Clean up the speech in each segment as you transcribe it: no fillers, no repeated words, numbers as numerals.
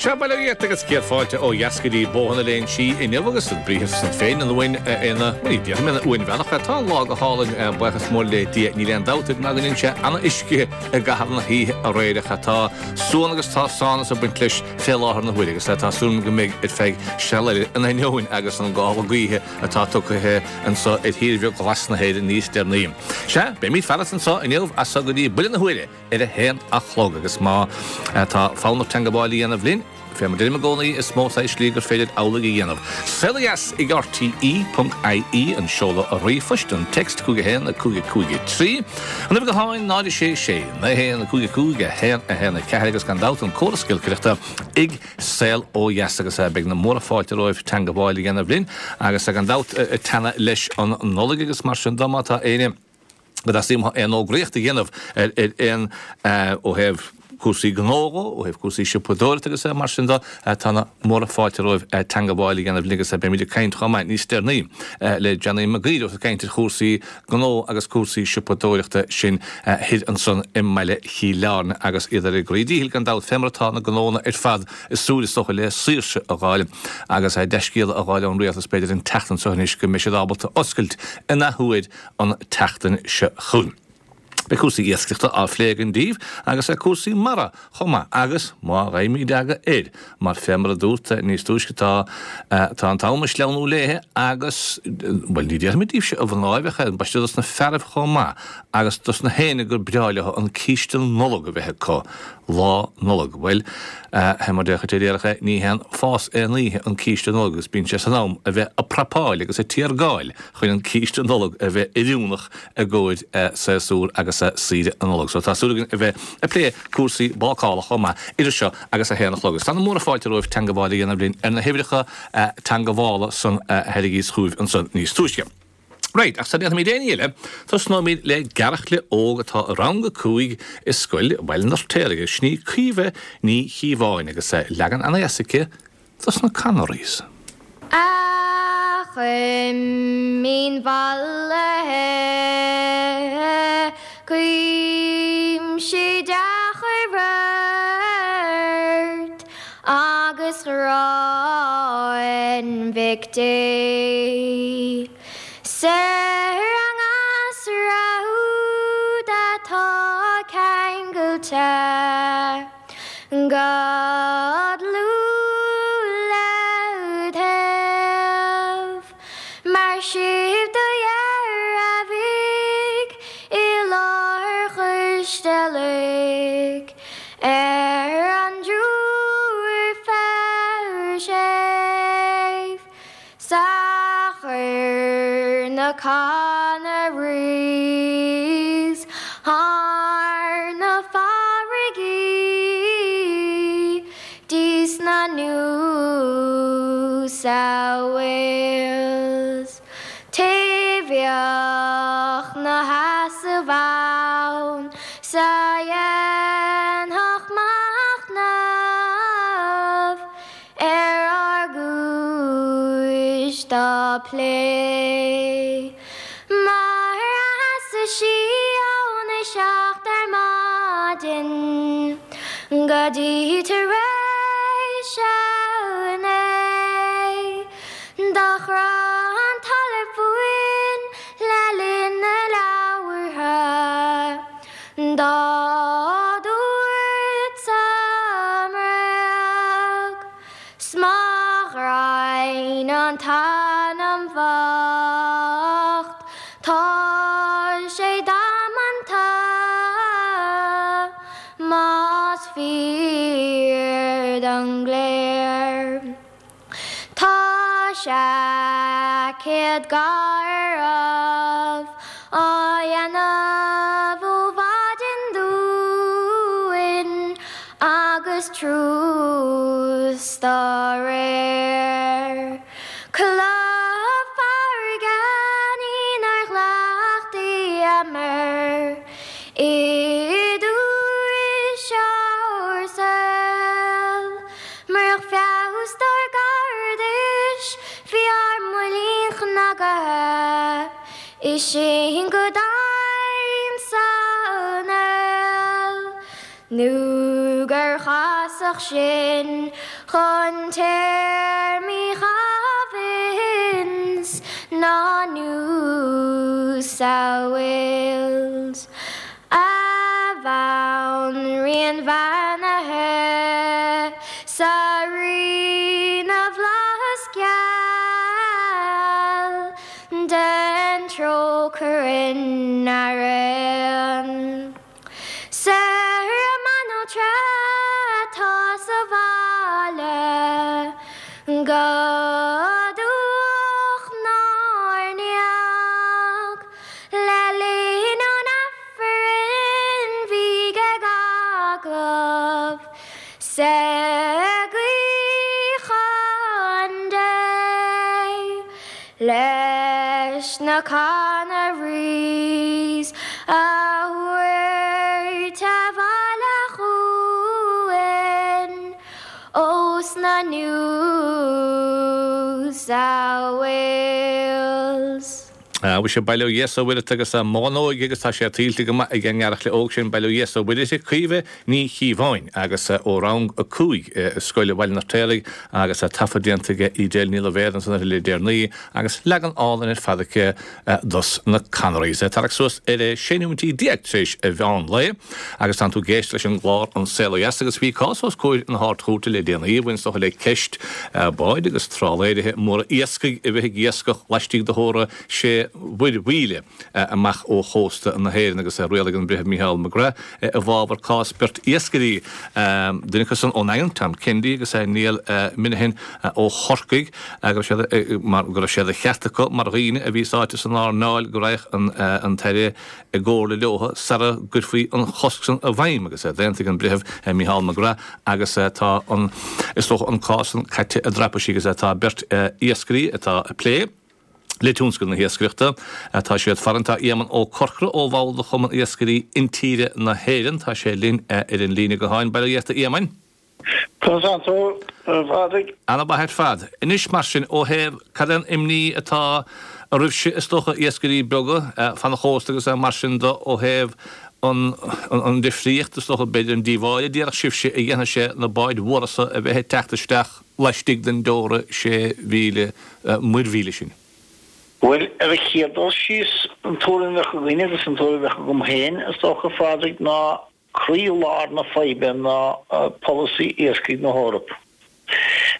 Sea, bail ó Dhia ort agus céad fáilte ó dheas go dtí Bóthar na Léinsí inniu agus an briathar san féin an uain ina, bhuel ní déarfaidh mé ina uainmheanach é, tá an lá go hálainn, buíochas mór le Dia, níl aon dabht ná go ndein sé ana-uisce i gcaitheamh na hoíche aréir ach tá suan agus tá sánas ag baint leis fé láthair na huaire agus tá súil agam go mbeidh ar feadh seal eile in ainneoin agus an gála gaoithe atá tugtha anso ar thír bheag ghlas na hÉireann níos deireanaí. Sea, beimid farat anso inniu as so go dtí buille na huaire ar a haon a chlog agus má tá fonn ort teangabháil a dhéanamh linn, fé mar deirim i gcónaí, is mó saghas slí gur féidir amhlaidh a dhéanamh. Saol Ó Dheas ag RTE.ie an seoladh ríomhphoist, an text 51 5 5 3, an uimhir ghutháin 0 6 6 9 1 5 5 1 1 4 agus gan dabht an córas giolcaireachta ag Saol Ó Dheas agus beidh na móra fáilte romhaibh teangabháil a dhéanamh linn agus gan dabht ag teannadh leis an Nollaig agus mar sin de má tá éinne go dteastaíonn uathu aon fhógraíocht a dhéanamh ar aon ó thaobh cúrsaí gnó dhó, ó thaobh cúrsaí siopadóireachta agus mar sin de, tá na móra fáilte romhaibh teangabháil a dhéanamh linn agus beimid ag caint chomh maith níos deireanaí le Johnny Mac Uidhir ag caint ar chúrsaí gnó agus cúrsaí siopadóireachta sin thoir ansan i mbaile Chill Airne agus iad ar a gcroí díchill gan dabht fé mar atá na gnónna ar fad ag súil is dócha le saoirse a dh'fháil agus dea-scéala a dh'fháil ón rialtas b'fhéidir an tseachtain seo anois go mbeidh siad ábalta oscailt in athuair an tseachtain seo chugainn. Beidh cúrsaí iascaireachta á phlé againn daoibh agus cúrsaí mara chomh maith agus má gheibhimid aga air, mar fé mar a dúrt níos túisce tá tá an t-am ag sleamhnú léithe agus, bhuel ní déarfaimid daoibhse a mhnáibh ach ambaiste dos na fearaibh chomh maith agus dos na héinne gur breá leo an císte Nollag a bheith acu Lá Nollag. Bhuel, fé mar déarfadh Déarfadh é, ní haon fás aon oíche an císte Nollag agus bíonn sé san am a bheith a prapáil agus a tiargáil chun an císte Nollag a bheith oiriúnach i gcomhair séasúr agus saoire na Nollag. So tá súil againn a bheith ag plé cúrsaí bácála chomh maith idir seo agus a haon a chlog. Agus tá na móra fáilte romhaibh teangabháil a dhéanamh linn ar na huimhreacha teangabhála san a thairgíos chugaibh ansan níos túisce. Right, ach sara ndéanfaimid aon ní eile, tosnóimid le gearrchaile óg atá i rang 5 i Scoil Bhaile an Fheirtéaraigh, agus sin í Caoimhe Ní Chíobháin, agus leagan ana-dheas aici dos na Canaries. A chuimín mhallaithe, Cuimsigh dea-chuir ort agus gráin Mhic Dé. 'S ar an ngasra úd atá ceangailte go dlúth led thaobh, mar sibh do dhearbhaigh i láthair choisdealbhaidh ar an dtriúr fear séimh. 'S a chuir na Canaries thar na farraigí 'dtí sna New South Wales. Té bheadh 'na sheasamh ann 's a dhéanfadh machnamh Ar ár gcúis dá plé. Mar a sheasadh sí óna seacht ar maidin go dtí tar éis a naoi. Do chroith an talamh fúinn le linn a labhartha. Dá dúirt sa mbréag 's má ghreim an t-anam bhocht tá sé damanta más fíor don gcléir. Tá seaicéad garbh á dhéanamh ó mhaidin dúinn agus truas dá réir. Cloch farraige ní nár chleachtaíomar i dturais ár saoil. Murach feabhas dár gcairdis bhí ár mbuillín cnagaithe is sinn go domhain san fheoil nó gur chas. chreasach sin chun téarmaí Province ná New South Wales. A Bhanríon bheannaithe 's a Rí na bhFlaitheas geal, Dein trócaire orainn araon. 'S ar an mbanaltra atá sa bhaile go dubhach 'nár ndiaidh le linn an Aifrinn bhíg ag agallamh 's ag guí chun Dé leis na Canaries a thabhairt abhaile chugainn ós na New South Wales. Mhuise, bail ó Dhia 's ó Mhuire ort agus a mháthair óig agus tá sé tuillte go maith ag an ngearrchaile óg sin, bail ó Dhia 's ó Mhuire uirthi, Caoimhe Ní Chíobháin agus ó rang 5 i Scoil Bhaile an Fheirtéaraigh agus taifead déanta ag Edel Ní Loibhéad ansan uirthi le deireanaí agus leagan álainn ar fad aici dos na Canaries. Tarrac suas ar 16 nóimintí tar éis an mheán lae agus tánn tú ag éisteacht leis an gclár An Saol Ó Dheas agus bhí cás os comhair na hArd-Chúirte le déanaí a bhain is dócha le ceist báid agus trálaeirithe móra iascaigh a bheith ag iascach laistigh de theora sé mhuir-mhíle amach ó chósta na hÉireann agus rialaigh an Breitheamh Micheál McGrath i bhfabhar cás beirt iascairí, duine acu san ón nDaingean, Tom Kennedy agus Niall Minihan ó Chorcaigh, go raibh sé mar go raibh sé de cheart acu mar dhaoine a bhí sáite san earnáil go raghadh an tAire i gcomhairle leo sara gcuirfí an chosc san i bhfeidhm agus d'aontaigh an Breitheamh Micheál McGrath agus tá an, is dócha, an cás san caite i dtraipisí agus tá beirt iascairí atá ag plé le tionscal na hiascaireachta. Tá siad farainn. Tá Éamonn Ó Corcora ó bhall de Chumann Iascairí Intíre na hÉireann. Tá sé linn ar an líne gutháin. Bail ó Dhia ort a Éamoinn. Conas tánn tú, a Phádraig? Ana mhaith ar fad. Anois mar sin, ó thaobh, cad é an imní atá oraibhse, is dócha, iascairí beaga fan chósta agus mar sin de, ó thaobh an, an difríocht, is dócha, b'fhéidir an díobháil a déarfadh sibhse a dhéanfaidh sé na báid mhóra so a bheith ag teacht isteach laistigh den dteora 6,000 muirmhíle sin? Bhuel, ar an chéad dul síos, an tuairim a bheadh againne agus an tuairim a bheadh agam féin, is dócha, a Phádraig, ná Croí-lár na faidhbe ná polasaí iascaigh na hEorpa.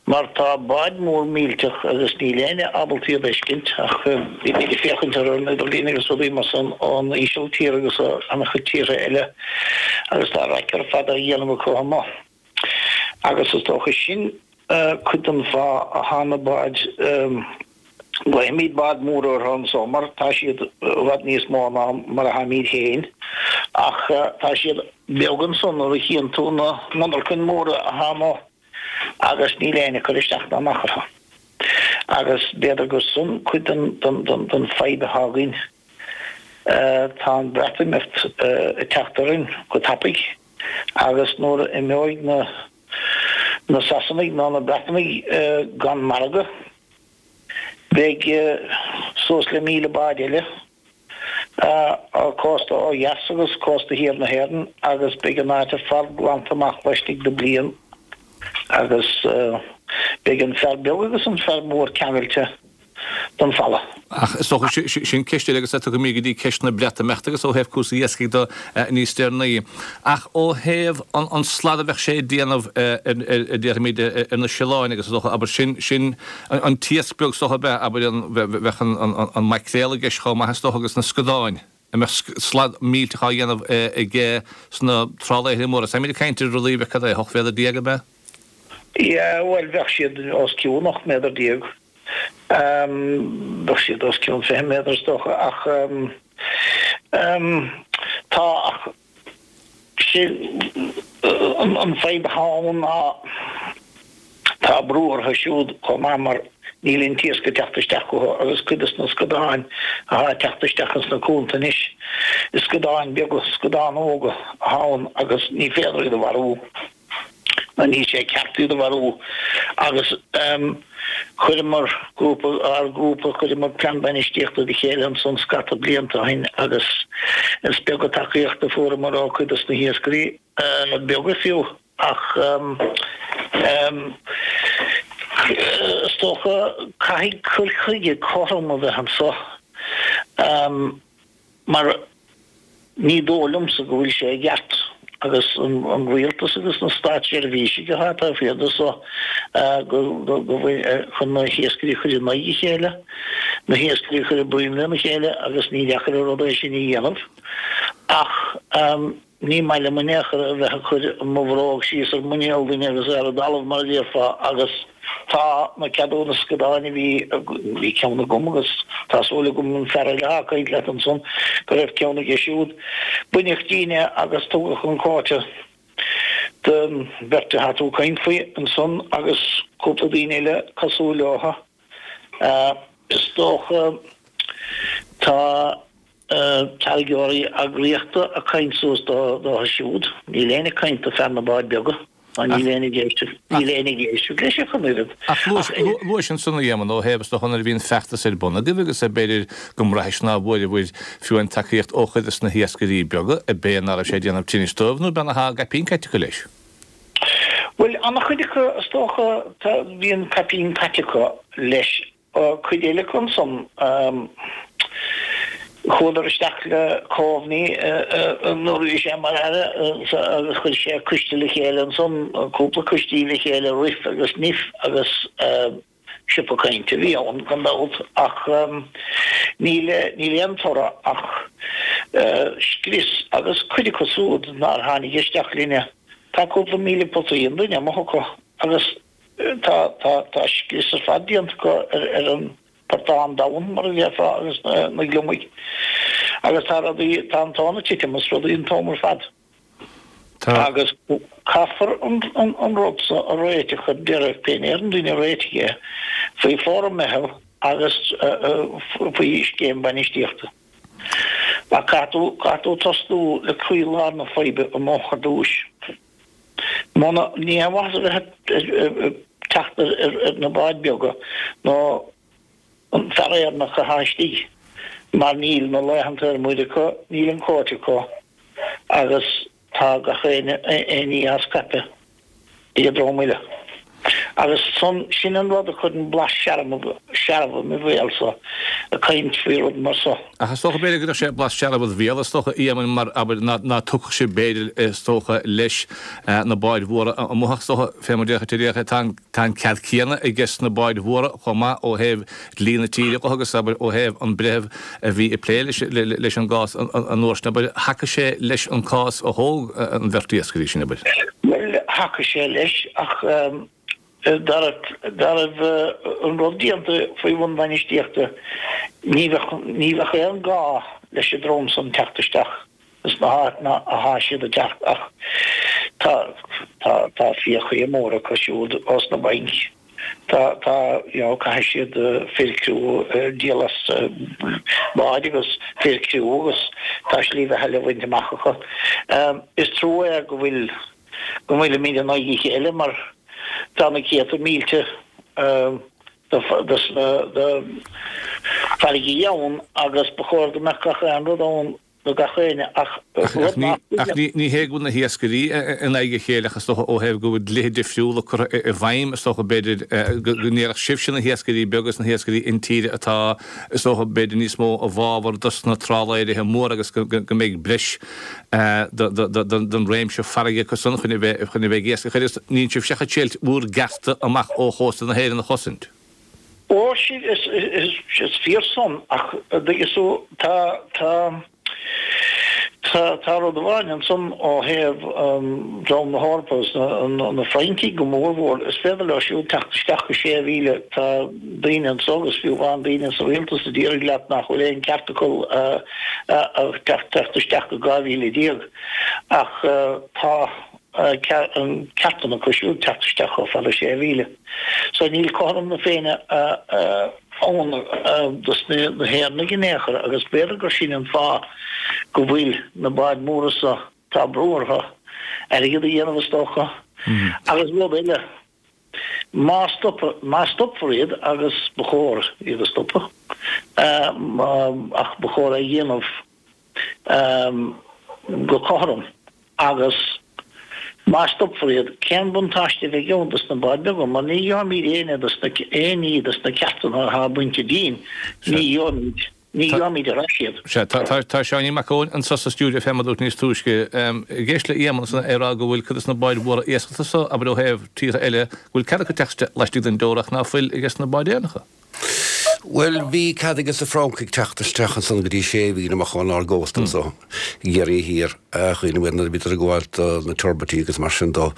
Mar tá báid mór millteach agus níl éinne ábalta iad a fheiscint ach bímid ag féachaint orthu ar an idirlíon agus rudaí mar san ón Ísiltír agus ó an-chuid tíortha eile agus tá raic ar fad á dhéanamh acu amuigh. Agus is dócha sin cuid den fáth atá na báid, glaofaimid bád mór orthu anso mar tá siad i bhfad níos mó ná mar atáimid féin, ach tá siad beag ansan nuair a chíonn tú na monarchain mhóra atá amuigh agus níl éinne ag cur isteach ná amach orthu. Agus b'fhéidir gur san cuid den fadhb atá againn. Tá an Breatimeacht ag teacht orainn go tapaidh. Agus nuair a imeoidh na na Sasanaigh ná na Breatanaigh gan margadh, beidh suas le 1,000 bád eile á cósta ó dheas agus cósta thiar na hÉireann agus beidh an áit ar fad glanta amach laistigh de bliain agus beidh an fear beag agus an fear mór ceangailte don bhfalla. Ach is dócha, sin ceist eile agus tiocfaimid go dtí ceist na Breatimeachta agus ó thaobh cúrsaí iascaigh de níos deireanaí. Ach ó thaobh an slad a bheadh sé ag déanamh ar, déarfaimid, ar na siolláin agus is dócha, abair, sin, sin an t-iasc beag is dócha ab ea, abair, an, bheadh an maicréal i gceist chomh maith is dócha agus na scadáin, a mbeadh slad millteach á dhéanamh aige sna trálaeirí móra. Táimid ag caint ar rudaí a bheadh, cad é, 18 mhéadar ab ea? Yeah, bhuel, bheadh siad os cionn 18 méadar. Bheadh siad os cionn 20 méadar is dócha ach tá ach sé an fadhb atá ann ná tá brú orthu siúd chomh maith mar níl an t-iasc ag teacht isteach chucu agus cuid des na scadáin atá ag teacht isteach ins na cuanta anois is scadáin beaga, scadáin óga atá ann agus ní féidir iad a mharú. Nó níl sé ceart iad a mharú. Agus chuireamar grúpa, ár ngrúpa, chuireamar plean bainistíochta le chéile ansan scata blianta ó shin agus is beag an tacaíocht a fuaireamar ó cuid dos na hiascairí beaga fiú. Ach is dócha caithfidh cur chuige cothrom a bheith anso mar ní dóigh liomsa go bhfuil sé i gceart agus an rialtas agus na státseirbhísigh atá taobh thiar de so go bhfuil chun na hiascairí a chur in aghaidh a chéile, na hiascairí a chur i bpruinn lena chéile agus ní deacair an rud é sin a dhéanamh ach Ní maith liom in aon chor a bheith ag cur mo bhróg síos ar mhuinéal duine agus é ar an dtalamh mar a déarfá agus tá na ceadúnais scadáin a bhí, bhí ceann agam agus tá súil agam an fear eile atá ag caint leat ansan go raibh ceann aige siúd. Baineadh dínn é agus tugadh an quota don bheirt atá tú ag caint faoi ansan agus cúpla daoine eile cosúil leo. Is dócha tá. Táirgeoirí eagraíochta ag caint suas dótha siúd. Níl éinne ag caint do fear na bád beaga, ná níl éinne ag éisteacht, níl éinne ag éisteacht leis ach an oiread. Ach luais ansan, a Éamoinn, ó thaobh is dócha nuair a bhí an feachtas ar bun agaibh agus b'fhéidir go mbraithis ná bhfuaireabhair fiú aon tacaíocht ó chuid des na hiascairí beaga, ab é ná raibh sé ag déanamh tinnis dóibh nó ab ea ná thá a gcaipín caite acu leis? Bhuel, an-chuid acu, is dócha, tá, bhí an caipín caite acu leis Cuid eile acu ansan, chuadar isteach le Coveney nuair a bhí sé mar Aire agus chuir sé coiste le chéile ansan, cúpla coistí le chéile, RIF agus NIF agus siopa cainte a bhí ann gan dabht ach níl níl aon toradh ach scrios agus cuid acu súd nár tháinig isteach linne, tá cúpla 1,000 potaí an duine amuigh acu agus Tá, tá, tá scrios ar fad déanta acu ar, ar an portán domhain, mar a déarfá, agus na, na gliomaigh. Agus tá rudaí, tá an tonn ag titim as rudaí an t-am ar fad. Tá. Agus caithfear an, an, an rud so a réiteach ar deireadh, pé ní ar an duine a réitigh é, faoi fora-meitheal agus faoi scéim bainistíochta. Ach caithfidh tú, caithfidh tú tosnú le croí-lár na faidhbe amuigh ar dtúis. Muna, ní haon mhaitheas a bheith ag teacht ar na báid beaga nó an fear Éireannach atá istigh mar níl na laethanta ar muir acu, níl an quota acu agus tá gach aon ní á scaipeadh ag an dream eile. Agus san, sin an rud a chuireann blas searbh i mo bhéalsa ag caint faoi rud mar so. Ach is dócha, b'fhéidir, go gcuirfeadh sé blas searbh id bhéal, is dócha, a Éamoinn, mar, abair, ná, ná tuigfeadh sibh, b'fhéidir, is dócha, leis na báid mhóra amuigh ach is dócha, fé mar déarfadh tú, tá an, tá an cead céanna aige sna báid mhóra chomh maith ó thaobh dlí na tíre dho agus, abair, ó thaobh an breitheamh a bhí ag plé leis, leis an gcás an uair sin, abair, thacaigh sé leis an cás a thóg an bheirt iascairí sin, abair. Bhuel, thacaigh sé leis ach dá raibh an rud déanta faoi bhun bainistíochta ní bheadh, ní bheadh aon gá leis an dream san teacht isteach sna háiteanna athá siad ag teacht ach tá, tá, tá fiacha móra acu siúd ós na bainc. Tá, tá, you know, caithfidh siad fir criú a dhíol as báid agus fir criú agus tá slí bheatha le bhaint amach acu. Is trua é go bhfuil, go bhfuilimid in aghaidh a chéile mar tá na céadta mílte de, de farraigí ann agus ba chóir go mbeadh gach aon rud ann do gach éinne ach rud nach Ach ní hé go bhfuil na hiascairí in aghaidh a chéile ach is dócha ó thaobh go bhfuil dlíthe difriúla curtha i bhfeidhm is dócha b'fhéidir go ndéarfadh sibhse na hiascairí beaga is na hiascairí intíre atá is dócha b'fhéidir níos mó i bhfabhar dos na trálaeirithe móra agus go mbeidh breis den réimse farraige acu san chun a bheith chun a bheith ag iascach agus níl sibhse ach ag triail bhur gcearta amach ó chósta na hÉireann a chosaint. Ó, is fíor san, ach an dtuigeann tú, tá, tá, tá, tá rud amháin ansan ó thaobh dream na hEorpa agus na Fraincigh go mórmhór, is féidir leo siúd teacht isteach go 6,000, tá daoine anso agus fiú amháin daoine sa rialtas a déarfaidh leat nach bhfuil aon ceart acu teacht isteach go 12,000 ach tá an ceartanna acu siúd teacht isteach chomh fada 6,000. So níl cothrom na Féinne ann dos na hÉireannaigh in aon chor agus b'fhéidir gur sin an fáth go bhfuil na báid mhóra so, tá brú orthu airgead a dhéanamh is dócha. Agus rud eile, má má stopfar iad, agus ba chóir iad a stopadh, ach ba chóir é a dhéanamh go cothrom agus. Má stopfar iad, cén buntáiste a bheidh ann dos na báid beaga, mar ní gheobhaimid aon dos na, aon ní dos na ceartanna atá bainte dínn, ní gheobhaimid, ní gheobhaimid ar ais iad. Sea, tá, tá, tá Seáinín Mac Eoin anso sa stiúideo fé mar a dúirt níos túisce. Ag éisteacht le Éamonn ansan é ag rá go bhfuil cuid dos na báid mhóra iascachta so, abair ó thaobh tíortha eile, go bhfuil cead acu teacht isteach laistigh den dteora ach ná fuil ages na báid Éireannacha. Bhuel, bhí cead ages na Francaigh teacht isteach ansan go dtí sé mhíle amach ónár gcósta anso i gCiarraí Thiar, cuimhním nuair a bhíodar ag gabháil do na turbaití agus mar sin dó.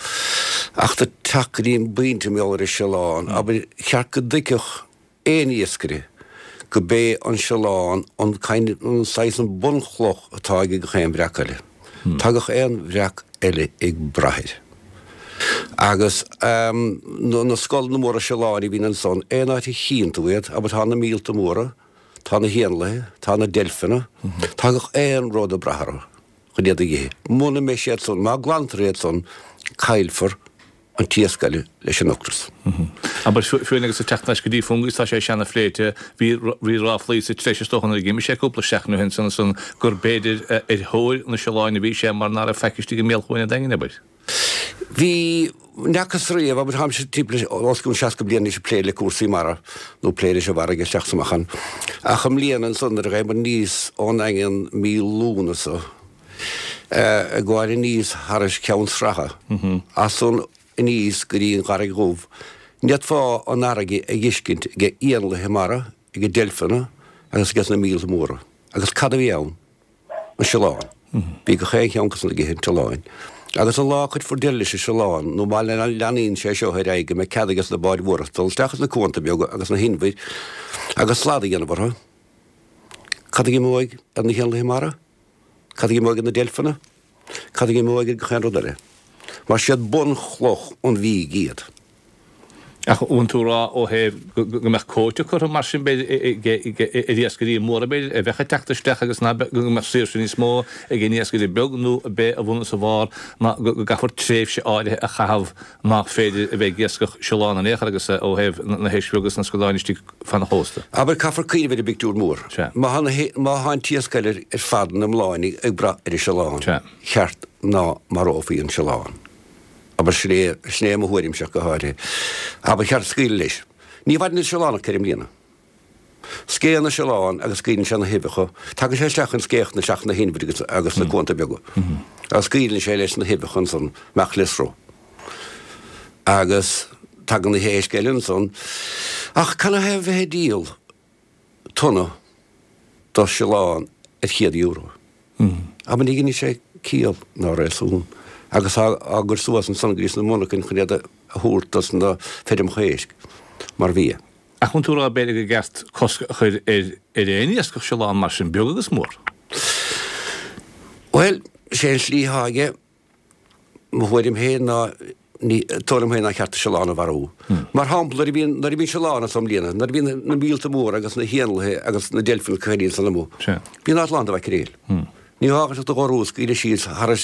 Ach do teacht go dtí an bpointe mar gheall ar an siolán, abair, cheart go dtuigfeadh aon iascaire go b'é an siolán an kind, an saghas, an bunchloch atá ag gach aon bhreac eile. Tá gach aon bhreac eile ag brath air. Agus na scoileanna móra siolán a bhíonn ansan, aon áit a chíonn tú iad, abair tá na míolta móra, tá na héanlaithe, tá na deilfeanna, tá gach aon rud ag brath orthu chun iad a dh'ithe. Muna mbeidh siad san, má glantar iad san, caillfear an t-iasc eile leis an ocras. Abair, fiú agus ag teacht anois go dtí Fungie, tá sé cheana phléite, bhí bhí ráflaí sa treis is dócha nuair a d'imigh sé cúpla seachtain ó shin san ansan gur b'fhéidir ar thóir na siolán a bhí sé mar ná raibh faic istigh i mbéal Chuan an Daingin, abair. Bhí, n'fheacas riamh, abair, táimse timpeall os cionn 60 bliain anois ag plé le cúrsaí mara, nó plé leis an bhfarraige isteach is amach ann. Ach i mbliana ansan nuair a ghabh muid aníos ón nDaingean mí Lúnasa, ag gabháil aníos thairis Ceann Sratha, as san aníos go dtí an Charraig Dhubh, ní fhéadfá an fharraige a dh'fheiscint age éanlaithe mara, age deilfeanna agus ages na míolta móra. Agus cad a bhí ann? An siolán. Bhí gach aon cheann acu san ag ithe an tsiolán. Agus an lá a cuirfear deireadh leis an siolán, nó má leanaíonn sé seo ar aghaidh go mbeidh cead ages na báid mhóra dul isteach sna cuanta beaga agus na hinbhir agus slad a dhéanamh orthu, cad a imeoidh ar na héanlaithe mara? Cad a imeoidh ar na deilfeanna? Cad a imeoidh ar gach aon rud eile? Mar siad bunchloch an bhídh iad. Ach bhfuil tú ag rá ó thaobh go mbeadh cóta curtha mar sin b'fhéidir ar iascairí móra b'fhéidir a bheadh ag teacht isteach agus ná go mbeadh saoirse níos mó ag an iascaire beag nó ab é a bhun is a bharr ná go gcaithfear tréimhse áirithe a chaitheamh nach féidir a bheith ag iascach siolán in aon chor agus ó thaobh na héisc bheaga agus na scadáin istigh fan chósta. Abair, caithfear cuimhneamh ar an bpictiúr mór. Sea. Má tá an t-iasc eile ar fad ina iomláine ag brath ar an siolán, Sea. cheart ná marófaí an siolán. Abair, sin é, sin é mo thuairimse ach go háirithe. Abair, ba cheart scaoileadh leis. Ní mhaireann an siolán ach 4 mbliana. Scéann an siolán agus scaoileann sé na huibheacha. Tagann sé isteach chun scéachta isteach sna hinbhir agus, agus sna cuanta beaga. Agus scaoileann sé leis na huibheacha ansan amach le sruth. Agus tagann na héisc eile ansan. Ach canathaobh a bheith ag díol tonna de siolán ar €100. Abair ní dhéanann sé ciall ná réasún agus tá á gcur suas ansan go dtí sna monarchain chun iad a thabhairt dos na feirmeacha éisc mar bhia. Ach an bhfuil tú ag rá b'fhéidir gur ceart cosc a chur ar ar aon iascach siolán mar sin, beag agus mór? Bhuel, sé an slí atá aige. Mo thuairim féin ná, ní, tuairim féin nár cheart an siolán a mharú. Mar shampla, nuair a bhíonn, nuair a bhíonn siolán anso i mbliana, nuair a bhíonn na míolta móra agus na héanlaithe agus na deilfeanna caoirigh ansan amuigh, bíonn áit lán de mhaicréil. Ní fhágfaidh siad do dhorú a scaoileadh síos thar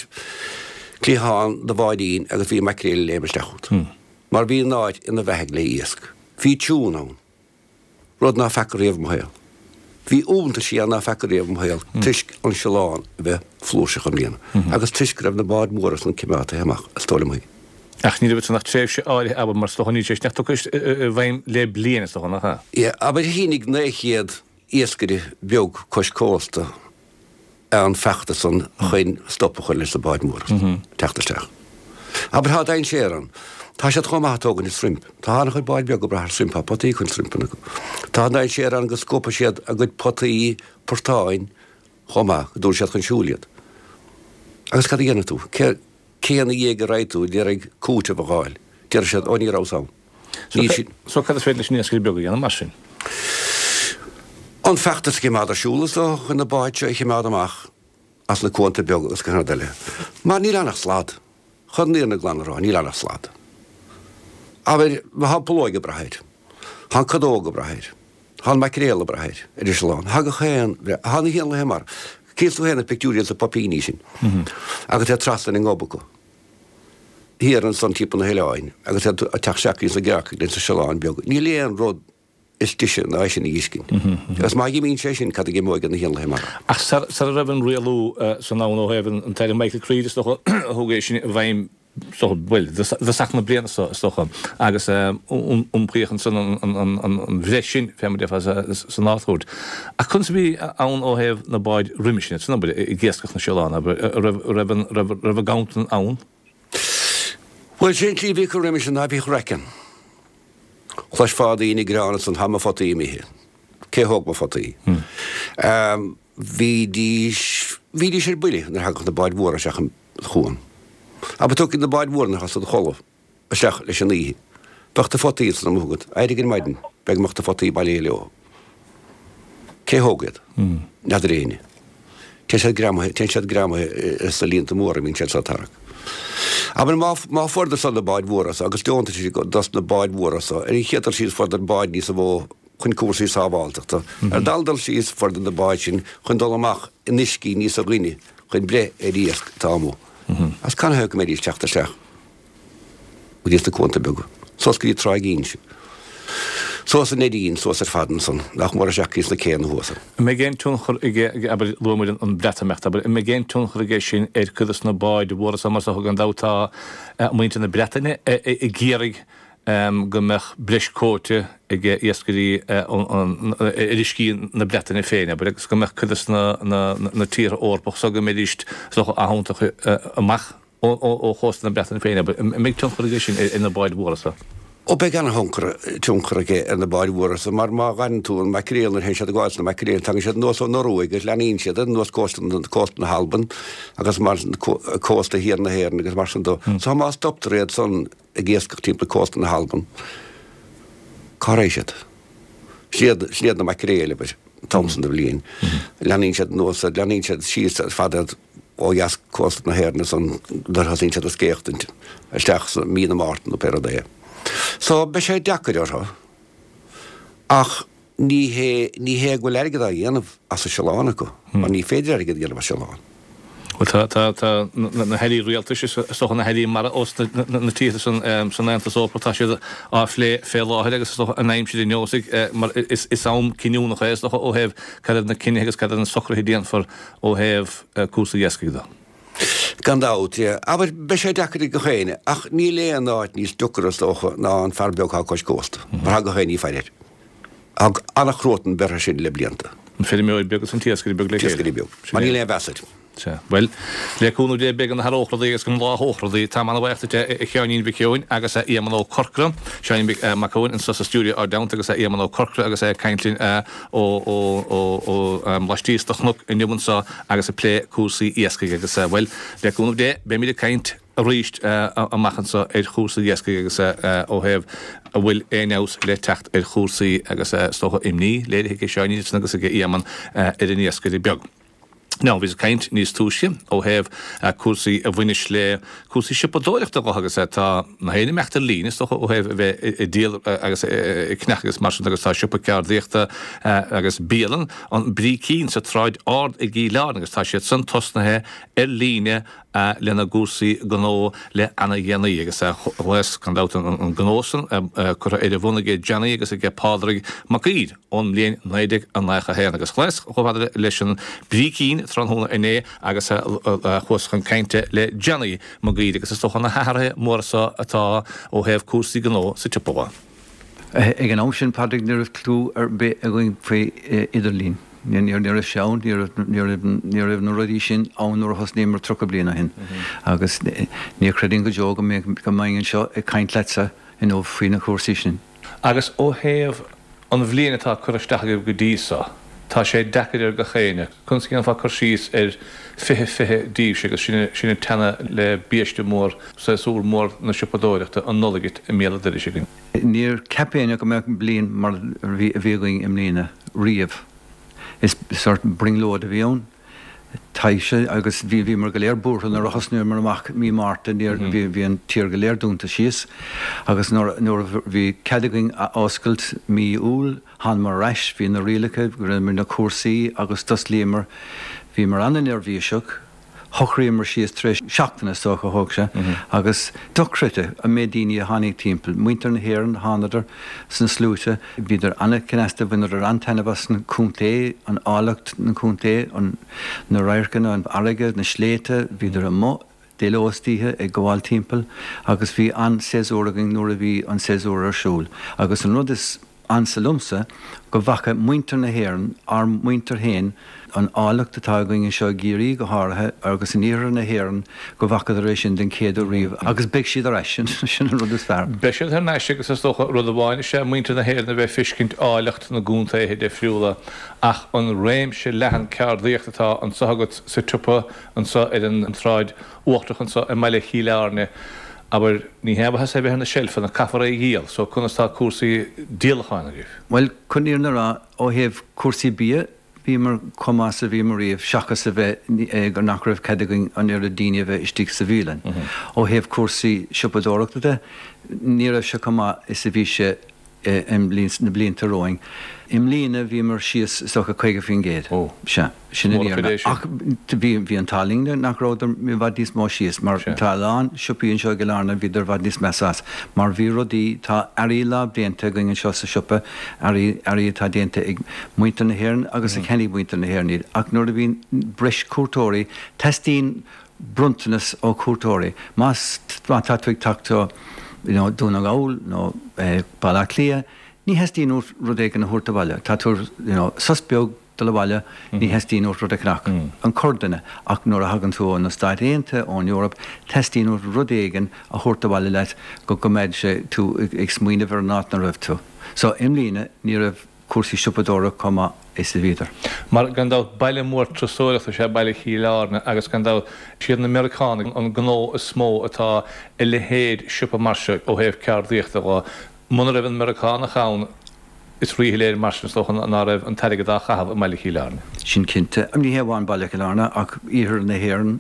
cliathán do bháidín agus bhí an maicréal ag léim isteach chugat. Mar bhí an áit ina bheathaidh le iasc. Bhí tiún ann. Rud ná feaca riamh i mo shaol. Bhí iontaisí ann ná feaca riamh i mo shaol toisc an siolán a bheith flúirseach i mbliana agus toisc go raibh na báid mhóra san cimeátaithe amach, is dóigh liom. Ach ní raibh ansan ach tréimhse áirithe, abair, mar is dócha níl sé sin ach tugtha i bhfeidhm le bliain, is dócha, nach ea? Yeah, abair shínigh 900 iascaire beag cois cósta an feachtas san chun stop a chur leis na báid mhóra teacht isteach. Abair tá dainséar ann. Tá siad chomh maith ag tógaint an shrimp. Tá an-chuid báid beag ag brath ar shrimp, tá potaí chun shrimpeanna acu. Tá an dainséar ann go scuabfaidh siad a gcuid potaí portáin chomh maith, go dtabharfaidh siad chun siúil iad. Agus cad a dhéanfaidh tú? Cé cé ina dhiaidh a raghaidh tú d'iarraidh cúiteamh a dh'fháil? Déarfaidh siad, Ó ní rabhas ann. Níl siad. So cad is féidir leis an iascaire beag a dhéanamh mar sin? An feachtas a chimeád ar siúl is dócha chun na báid seo a chimeád amach as na cuanta beaga agus gach aon rud eile. Mar níl ann ach slad. Chun an fhírinne glan a rá, níl ann ach slad. Abair, tá an pholóig ag brath air. Tá an cadóg ag brath air. Tá an maicréal ag brath air, ar an siolán. Tá gach aon, tá na héanlaithe mara. Cíonn tú féin na pictiúirí ansa poipíní sin. Agus iad trasna ar an ngob acu. Thiar ansan timpeall na hoileáin agus iad ag teacht isteach ins na gearrcaigh ins na siolán beag. Níl aon rud is deise ná é sin a dh'fheiscint. Agus má dh'imíonn sé sin, cad a dh'imeoidh ar na héanlaithe mara? Ach sara raibh an rialú san ann ó thaobh an tAire Michael Creed is dócha a thug é sin i bhfeidhm. Bhuel, i dtosach na bliana seo, is dócha, agus iompaíodh ansan an bhreith sin, fé mar a déarfá, san Ard-Chúirt. Ach conas a bhí ann ó thaobh na báid roimis sin, san abair, ag iascach na siolán, abair, an raibh an raibh an gabhantan ann? Bhuel, sé an tslí a bhí acu roimis sin ná bhíodh raic ann. Chloisfeá daoine ag gearán ansan, tá mo photaí imithe. Cé thóg mo photaí? Bhídís, bhídís ar buile nuair a thagadh na báid mhóra isteach an chuan. Abair tiocfaidh na báid mhóra nuair atá siad a chodladh isteach leis an oíche. Bheadh do photaí ansan amuigh agat. Éirigh ar maidin, b'fhéidir go mbeadh do photaí bailithe leo. Cé thóg iad? N'fheadar éinne. Téann siad greamaithe, téann siad greamaithe sna líonta móra a bhíonn siad so ag tarrac. Abair má, má fuaireadar san na báid mhóra so agus deontais dos na báid mhóra so, ar an chéad dul síos fuaireadar báid níosa mhó chun cúrsaí sábháilteachta. Ar an dara dul síos, fuaireadar na báid sin chun dul amach in uiscí níosa doimhne chun breith ar iasc atá amuigh. Agus canathaobh go mbeidís teacht isteach go dtí sna cuanta beaga, suas go dtí Tráigh Inse, suas an Neidín, suas ar fad ansan, nach mór isteach go dtí sna céanna thuas. An mbeidh aon tionchar aige, abair, luaigh muid an Breatimeacht, abair, an mbeidh aon tionchar aige sin ar cuid de na báid mhóra so mar is dócha gan dabht tá muintir na Breataine ag iarraidh go mbeadh breis cóta ag iascairí ar uiscí na Breataine féin, abair, agus go mbeadh cuid de na tíortha Eorpacha so go mbeidís is dócha á thiontach amach ó chósta na Breataine féin, abair. An mbeidh tionchar aige sin ar na báid mhóra so? Ó beidh ana-thionchar tionchar aige ar na báid mhóra so mar má ghabhann tú an maicréal nuair a théann siad ag gabháil na maicréil tagann siad anuas ón Ioruaidh agus leanaíonn siad anuas cósta cósta na hAlban agus mar cósta thiar na hÉireann agus mar sin dó. So má stoptar iad san ag iascach timpeall cósta na hAlban. Cá raghaidh siad? Sin iad, sin iad na maicréil, abair, an t-am san de bhliain. Leanaíonn siad anuas, leanaíonn siad síos ar fad ó dheas cósta na hÉireann ansan nuair a thosaíonn siad ag scaochtaint isteach sa mí na Márta nó pé rud é. So, beidh sé deacair orthu ach Ní hé, ní hé go bhfuil airgead á dhéanamh as an siolán acu, mar ní féidir airgead a dhéanamh as siolán. Bhuel, tá, tá, tá na hairí rialtais, is dócha na hairí mara ós na tíortha san, san Aontas Eorpach, tá siad á phlé fé láthair agus is dócha an aimsir an neosfaidh, mar is, is am cinniúnach é, is dócha, ó thaobh cad iad na cinnithe agus cad iad na socruithe a déanfar ó thaobh cúrsaí iascaigh de. Gan dabht, yeah. Abair, beidh sé deacair ag gach éinne, ach níl aon áit níos deacra, is dócha, ná an fear beag atá cois cósta, mar tá gach éinne ag faire air. Tá an-chruatan beirthe sin le blianta. An feirmeoir beag agus an t-iascaire beag le chéile. T-iascaire beag. Mar níl aon mheas air. Sea. Bhuel, le cúnamh Dé beidh go n-athródh rudaí agus go mbláthódh rudaí. Táim ana-bhaoch duit a Sheáinín Mhic Eoin agus a Éamonn Ó Corcora. Seáinín Mac Eoin anseo sa stiúideo ár dteannta agus a Éamonn Ó Corcora agus é ag caint linn ó ó ó ó laistíos de chnoc inniu anseo agus ag plé cúrsaí iascaigh agus bhuel, le cúnamh Dé beimid ag caint arís amach anseo ar chúrsaí iascaigh agus ó thaobh an bhfuil aon fheabhas le teacht ar chúrsaí agus is dócha imní léirithe aige Seáinín ansan agus aige Éamonn ar an iascaire beag. Now, bhíos ag caint níos túisce ó thaobh cúrsaí a bhaineas le cúrsaí siopadóireachta dho agus tá na héinne imeacht ar líne is dócha ó thaobh a bheith ag díol agus ag ceannach agus mar sin agus tá siopa ceardaíochta agus bialann an Brícín sa tSráid Ard i gCill Airne agus tá siad san tosnaithe ar líne lena gcúrsaí gnó le ana-dhéanaí agus ghlaos gan dabht an gnó san curtha ar a bhun aige Johnny agus aige Pádraig Mac Uidhir ón mbliain 1991 agus ghlaos chomh fada leis an Brícín tráthnóna inné agus chuas chun cainte le Johnny Mac Uidhir agus is dócha na hathruithe móra so atá ó thaobh cúrsaí gnó sa tsiopa dho. Ag an am sin, Padraig, ní raibh cliú ar bith againn faoi idirlíon. Ní raibh sé ann, ní raibh, ní raibh na rudaí sin ann nuair a thosnaíomar 30 bliain ó shin. Agus ní chreidfinn go deo go mbeinn anseo ag caint leatsa inniu faoi na cúrsaí sin. Agus ó thaobh an bhliain atá curtha isteach agaibh go dtí so, tá sé deacair ar gach éinne. Conas a dhéanfá cur síos ar 2020 daoibhse agus sinn ag teannadh le biaiste mór, séasúr mór na siopadóireachta, an Nollaig i mbéal an dorais againn? Níor cheap éinne go mbeadh bliain mar a bhí againn i mbliana riamh. Is sórt brionglóid a bhí ann. Taibhse agus bhí, bhíomar go léir buartha nuair a thosnaíomar amach mí Márta, níor, bhí, bhí an tír go léir dúnta síos agus nuair, nuair a bhí cead againn a oscailt mí Iúil, thánamar ar ais, bhí na rialacha, rinneamar na cúrsaí agus d'osclaíomar, bhíomar ana-neirbhíseach. Shocraíomar síos tar éis seachtaine, is dócha, a thóg sé, agus dochreidte an méid daoine a tháinig timpeall. Muintir na hÉireann, thánadar sna sluaite. Bhíodar an-chneasta, bhaineadar an-taitneamh as an chontae, an áilleacht na contae, an, na radharcanna, an fharraige, na sléibhte, bhíodar amuigh. dé ló is d'oíche ag gabháil timpeall agus bhí an-séasúr againn nuair a bhí an séasúr ar siúl. Agus an rud is ansa liomsa, go bhfaca muintir na hÉireann, ár muintir féin, an áilleacht atá againn anseo i gCiarraí go háirithe agus in iarthar na hÉireann, go bhfacadar é sin den chéad uair riamh agus beidh siad ar ais, sin an rud is fearr. Beidh siad thar n-ais agus is dócha rud amháin is ea muintir na hÉireann a bheith ag feiscint áilleacht na gcontaetha difriúla ach an réimse leathan ceardaíochta atá anseo agat sa tsiopa anseo ar an tSráid Uachtarach anseo i mbaile Chill Airne, abair, ní haon mhaitheas é a bheith ar na seilfeanna, caithfear é a dhíol, so conas tá cúrsaí díolacháin agaibh? Bhuel, chun an fhírinne a rá, ó thaobh cúrsaí bia, bhíomar chomh maith is a bhíomar riamh, seachas a bheith, gur nach raibh cead againn an oiread daoine a bheith istigh sa bhialann. Ó thaobh cúrsaí siopadóireachta de, ní raibh sé chomh maith is a bhí sé i na blianta romhainn. I mbliana bhíomar síos is dócha 50%. Ó. Sea. Sin an fhírinne. Ach bhí bhí an t-ádh linn nach rabhadar i bhfad níos mó síos mar tá a lán siopaí anseo i gCill Airne bhíodar i bhfad níos measa as mar bhí rudaí, tá earraí lámhdéanta againn anseo sa siopa, earraí, earraí atá déanta ag muintir na hÉireann agus a cheannaigh muintir na hÉireann iad. Ach nuair a bhíonn breis cuairteoirí, teastaíonn bronntanas ó chuairteoirí. Más, má tá tú ag teacht ó you know Dún na nGall nó Baile Átha Cliath, ní theastaíonn uait rud éigin a thabhairt abhaile. Tá tú you know sos beag dul abhaile, ní theastaíonn uait rud a cheannach. An corrdhuine. Ach nuair a thagann tú ó na Stáit Aontaithe, ón Eoraip, teastaíonn uait rud éigin a thabhairt abhaile leat go gcoimeád sé tú ag smaoineamh ar an áit 'na raibh tú. So, i mbliana, ní raibh cúrsaí siopadóireachta chomh maith is a bhíodar. Mar, gan dabht, baile mór turasóireachta is ea baile Chill Airne agus, gan dabht, siad na Meiriceánaigh an gnó is mó atá i leithéid siopa mar seo ó thaobh ceardaíochta dho. Muna raibh an Meiriceánach ann, is ríshoiléir mar sin, is dócha, ná raibh an t-airgead á chaitheamh i mbaile Chill Airne. Sin cinnte. Ní hé amháin baile Chill Airne ach iarthar na hÉireann.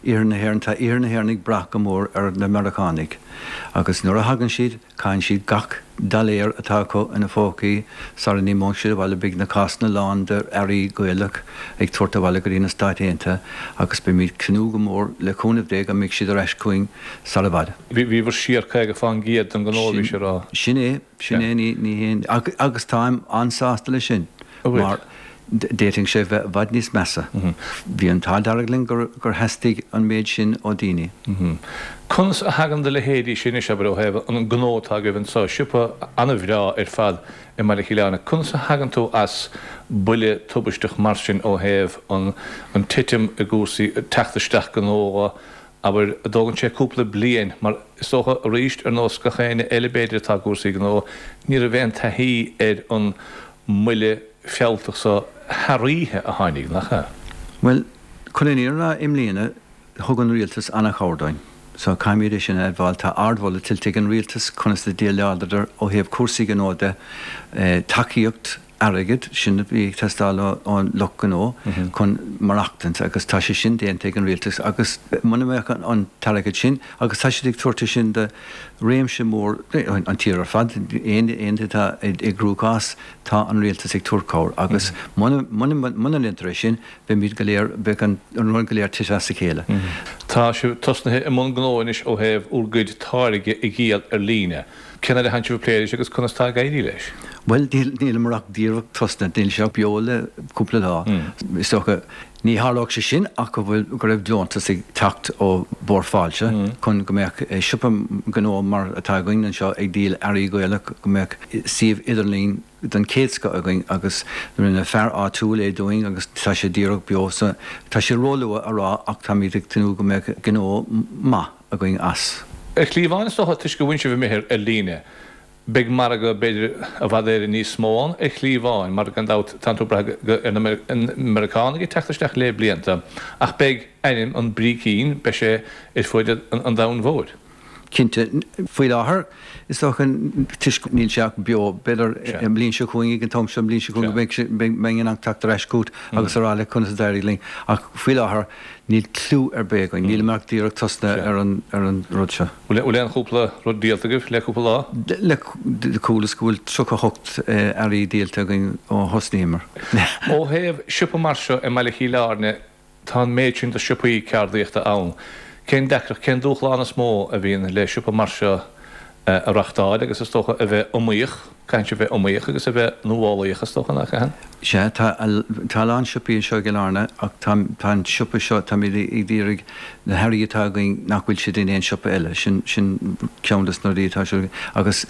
Iarthar na hÉireann, tá iarthar na hÉireann ag brath go mór ar na Meiriceánaigh agus nuair a thagann siad, caitheann siad gach doiléar atá acu ina phócaí sara n-imeoidh siad abhaile. Beidh na cásanna lán de earraí Gaelach ag tabhairt abhaile go dtí na Stáit Aontaithe agus beimid ag tnúth go mór le cúnamh Dé go mbeidh siad ar ais chugainn sara bhfad. Bhíobhair siar 50 fán gcéad den ghnó, a bhí sé a rá. Sin é. Sin é, ní haon, agus táim an-sásta leis sin, mar d'fhéadfadh sé bheith i bhfad níos measa. Bhí an t-ádh dearg linn gur theastaigh an méid sin ó daoine. Conas a thagann do leithéidí sin anois, abair, ó thaobh an gnó atá agaibh anseo, siopa an-bhreá ar fad i mBaile Chill Airne, conas a thagann tú as buille tubaisteach mar sin ó thaobh an titim i gcúrsaí teacht isteach gnó Abair, an dtógann sé cúpla bliain, mar is dócha, arís, ar nós gach éinne eile b'fhéidir atá i gcúrsaí gnó, ní raibh aon taithí ar an mbuille fealltach so thar oíche a tháinig, nach ea? Bhuel, chun an fhírinne a rá, i mbliana, thug an rialtas an-chabhair dúinn. So, caithfimid é sin a admháil. Tá ardmholadh tuillte ag an rialtas conas a dhéileáladar ó thaobh cúrsaí gnó de, tacaíocht, airgead, sin a bhí ag teastáil ón lucht gnó chun maireachtaint agus tá sé sin déanta ag an rialtas agus muna mbeadh an t-airgead sin, agus tá siad ag tabhairt é sin do réimse mór, an tír ar fad, éinne atá i gcruachás, tá an rialtas ag tabhairt cabhair agus muna ndéantar é sin, beimid go léir, beidh an rud go léir tite as a chéile. Tá sibh tosnaithe i mbun gnó anois ó thaobh bhur gcuid táirge a dhíol ar líne. Cén fhad a tánn sibh ag plé leis agus conas tá ag éirí leis? Bhuel, níleamar ach díreach tosnaithe, níl sé ach beo le cúpla lá. Is dócha, ní tharlódh sé sin ach go bhfuil, go raibh deontas ag teacht ó Bhord Fáilte chun go mbeadh siopa gnó mar atá againn anseo ag díol earraí Gaelach, go mbeadh suíomh idirlín den chéad scoth againn agus rinne fear áitiúil é dúinn agus tá sé díreach beo so tá sé róluath a rá ach táimid ag tnúth go mbeadh gnó maith againn as. Ar shlí amháin, is dócha, toisc go bhfuil sibh imithe ar líne, beidh margadh, b'fhéidir, i bhfad Éireann níos mó ann ar shlí amháin, mar gan dabht, tánn tú ag brath ar na Meiriceánaigh ag teacht isteach le blianta, ach beidh ainm an Brícín, beidh sé ar fuaid an domhain mhóir. Cinnte. Faoi láthair, is dócha, toisc níl sé ach beo, b'fhéidir an bhliain seo chugainn, ag an t-am seo an bhliain seo chugainn, go mbeidh, mbeinn in ann teacht ar ais chugat agus a rá leat conas a d'éirigh linn. Ach faoi láthair, Níl cliú ar bith againn. Nílimid ach díreach tosnaithe ar an ar an rud seo. Bhfuil aon chúpla rud díolta agaibh le cúpla lá? Le chualas go bhfuil 38 earraí díolta againn ó thosnaíomar. Ó thaobh siopa mar seo i mbaile Chill Airne, tá an méid sin de shiopaí ceardaíochta ann. Cén deacracht, cén dúshlán is mó a bhíonn le siopa mar seo a reachtáil agus is dócha a bheith iomaíoch? Caithfidh sibh a bheith iomaíoch agus a bheith nuálaíoch, is dócha, nach gcaitheann? Sea, tá, tá a lán siopaí anseo i gCill Airne ach tá, tá an siopa seo, táimid ag iarraidh na hearraí atá againn nach bhfuil siad in aon siopa eile, sin, sin ceann des na rudaí atá siúl agus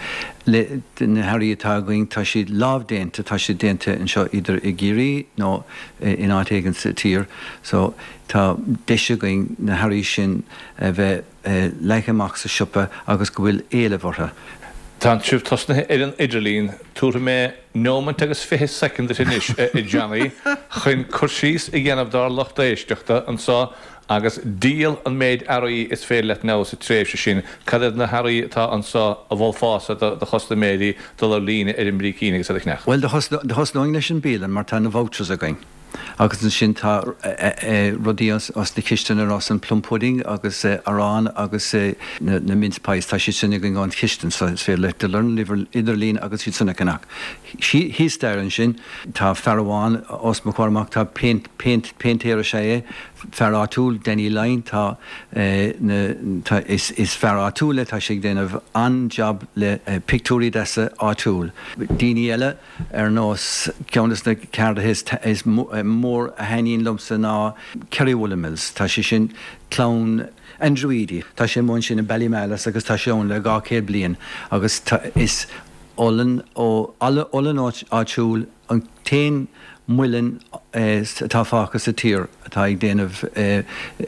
le, na hearraí atá againn tá siad lámhdéanta, tá siad déanta anseo idir i gCiarraí nó in áit éigin sa tír so tá deis againn na hearraí sin a bheith leagtha amach sa siopa agus go bhfuil éileamh orthu. Tá sibh tosnaithe ar an idirlíon. Tabharfaidh mé neomant agus 20 soicind duit anois, a Johnny, chun cur síos a dhéanamh dár lucht éisteachta anseo agus díol an méid earraí is féidir leat now sa tréimhse sin. Cad iad na hearraí atá anseo a mholfása do chustaiméirí dul ar líne ar an mBrícín agus iad a cheannach? Bhuel, thosnóinn leis an bialann mar tá na vouchers againn. Agus ansin tá rudaí as na cistine ar nós an plum pudding agus arán agus na mince pies, tá siad sin againn ón chistin so is féidir leat dul ar an idirlíon agus iad sin a cheannach. Thíos staighre ansin tá fear amháin os mo chomhair amach, tá péint, péint, péintéir is ea é, fear áitiúil, Danny Lyne, tá na, tá, is, is fear áitiúil é, tá sé ag déanamh an-jab le pictiúirí deasa áitiúil. Daoine eile. Ar nós, ceann des na ceardaithe is mór a thaitníonn liomsa ná Kerry Woollen Mills. Tá sé sin, clann Andrew Eadie, tá sé amuigh ansin i Ballymalus agus tá sé ann le 200 bliain agus is olann ó, olann áitiúil, an t-aon muileann atá fágtha sa tír atá ag déanamh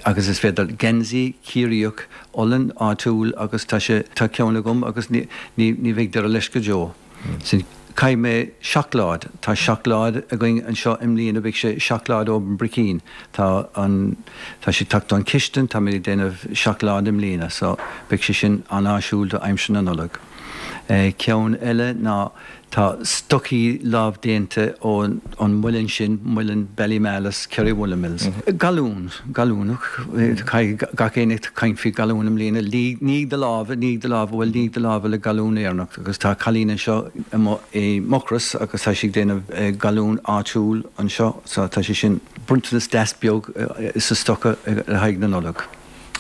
agus is féidir geansaí Ciarraíoch, olann áitiúil agus tá sé, tá ceann agam agus ní, ní bheidh deireadh leis go deo. Sin, caithfidh mé seacláid, tá seacláid againn anseo i mbliana, beidh sé seacláid ón mBricín, tá an, tá sé ag teacht ón chistin, táimid ag déanamh seacláid i mbliana so beidh sé sin an-áisiúil do aimsir na Nollag. Ceann eile ná tá stocaí lámhdéanta ón muileann sin, muileann Ballymalus, Kerry Woollen Mills. Galún, galún, caithfidh gach éinne caint faoi galún i mbliana, nigh do lámha, nigh do lámha, bhuel nigh do lámha le galún Éireannach agus tá cailín anseo i Mucros agus tá sí ag déanamh galún áitiúil anseo so tá sé sin bronntanas deas beag sa stoca le haghaidh na Nollag.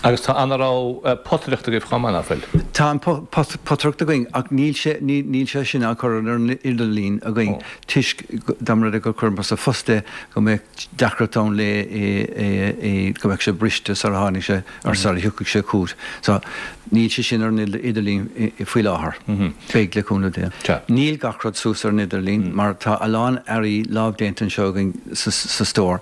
Agus tá ana-rogha potaireachta agaibh chomh maith, ná fuil? Tá an potaireacht againn ach níl sé, níl sé sin á chur ar an idirlíon againn toisc dá mba rud é gur chuireamar sa phost é go mbeadh deacracht ann le é, go mbeadh sé briste sar a tháinig sé, or sar a thiocfadh sé chugat. So, níl sé sin ar an idirlíon faoi láthair. Beidh, le cúnamh Dé. Níl gach rud suas ar an idirlíon mar tá a lán earraí lámhdéanta anseo againn sa stór.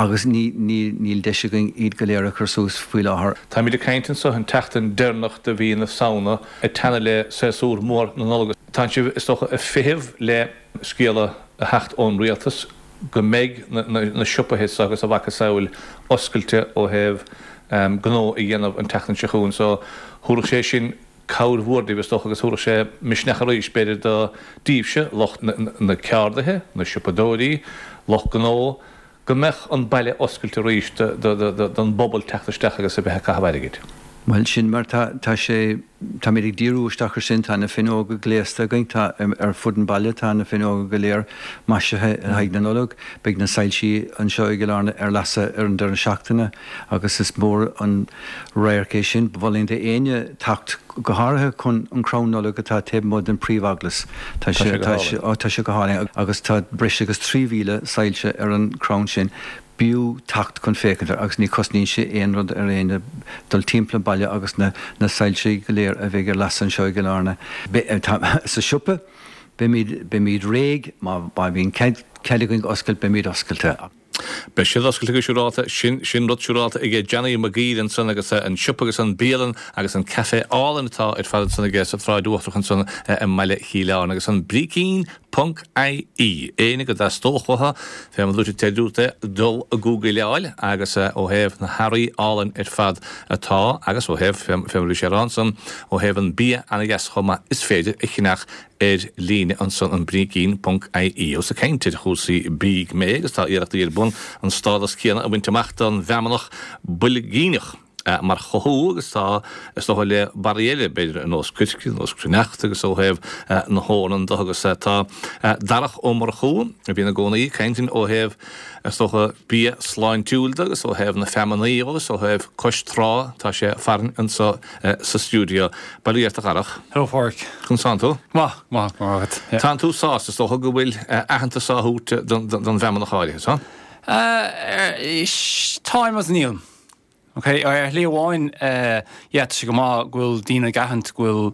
Agus ní, ní, níl deis againn iad go léir a chur suas faoi láthair. Táimid ag caint anseo an tseachtain deireanach de mhí na Samhna, ag teannadh le séasúr mór na Nollag. Tánn sibh, is dócha, ag feitheamh le scéala a theacht ón rialtas go mbeidh na siopaithe seo agus a mhacasamhail oscailte ó thaobh gnó a dhéanamh an tseachtain seo chugainn. So, thabharfadh sé sin cabhair mhór daoibh, is dócha, agus thabharfadh sé misneach arís, b'fhéidir, do daoibhse, lucht na ceardaithe, na siopadóirí, lucht gnó, go mbeadh an baile oscailte arís don bpobal teacht isteach agus a bheith ag caitheamh airgid. Bhuel, sin mar tá, tá sé, táimid ag díriú isteach ar sin, tá na fuinneoga gléasta againn, tá, ar fud an bhaile, tá na fuinneoga go léir maisithe le haghaidh na Nollag, beidh na soilsí anseo i gCill Airne ar lasadh ar an deireadh seachtaine agus is mór an radharc é sin. Mholfainn d'éinne teacht, go háirithe chun an crann Nollag atá taobh amuigh den príomh-eaglais. Tá sé go hálainn. Ó, tá sé go hálainn agus tá breis agus 3,000 soilse ar an chrann sin. B'fhiú teacht chun féachaint air agus ní chosnaíonn sé aon rud ar éinne dul timpeall an baile agus na na soilse go léir a bheidh ar lasadh anseo i gCill Airne. Sa siopa, beimid beimid réidh má bhíonn cead cead againn oscailt, beimid oscailte. Beidh siad oscailte go siúrálta. Sin, sin rud siúrálta aige Johnny Mac Guill ansan agus an siopa agus an bialann agus an café álainn atá ar fad ansan aige sa tSráid Uachtarach ansan i mbaile Chill Airne agus an Brícín ponc IE. Éinne go dteastódh uathu, fé mar a dúirt an dúirt é, dul a gúgaileáil agus ó thaobh na hearraí álainn ar fad atá agus ó thaobh, fé mar a bhí sé a rá ansan, ó thaobh an bia ana-dheas chomh maith is féidir a cheannach ar líne ansan an brícín ponc ie. Ós ag caint ar chúrsaí bídh mé agus tá iarrachtaí ar bun an stádas céanna a bhaint amach don mheamnach boilgíneach. mar chothú agus tá, is dócha, le barraí eile, b'fhéidir, ar nós coirce, nós cruithneachta agus ó thaobh na heornan de agus tá Darach Ó Murchú, a bhíonn i gcónaí ag caint ó thaobh, is dócha, bia sláintiúil de agus ó thaobh na feamanaí agus ó thaobh cois trá, tá sé farainn anseo sa stiúideo. Bail ó Dhia ort a Dharach. Hello Phádraic. Conas tánn tú? Maith, maith, go raibh maith agat. Tánn tú sásta, is dócha, go bhfuil aitheantas á thabhairt don bhfeamnach áirithe, tá? Táim agus nílim. Ok, ar shlí amháin, yeah, tá sé go maith go bhfuil daoine ag aithint go bhfuil,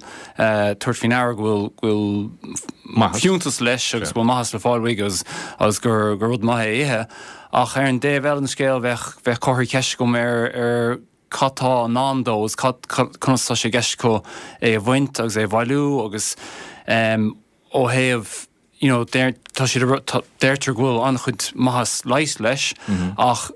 tabhairt faoi ndeara go bhfuil, go bhfuil fiúntas leis agus go bhfuil maitheas le fáil uaidh agus, agus gur, gur rud maith é a ithe. Ach ar an dtaobh eile den scéal, bheadh, bheadh comharthaí ceiste agam ar, ar cad tá i ndán dó agus cad, conas tá sé i gceist acu é a bhaint agus é a bhailiú agus ó thaobh, you know, deir, tá siad a, tá, deirtear go bhfuil an-chuid maitheas leighis leis ach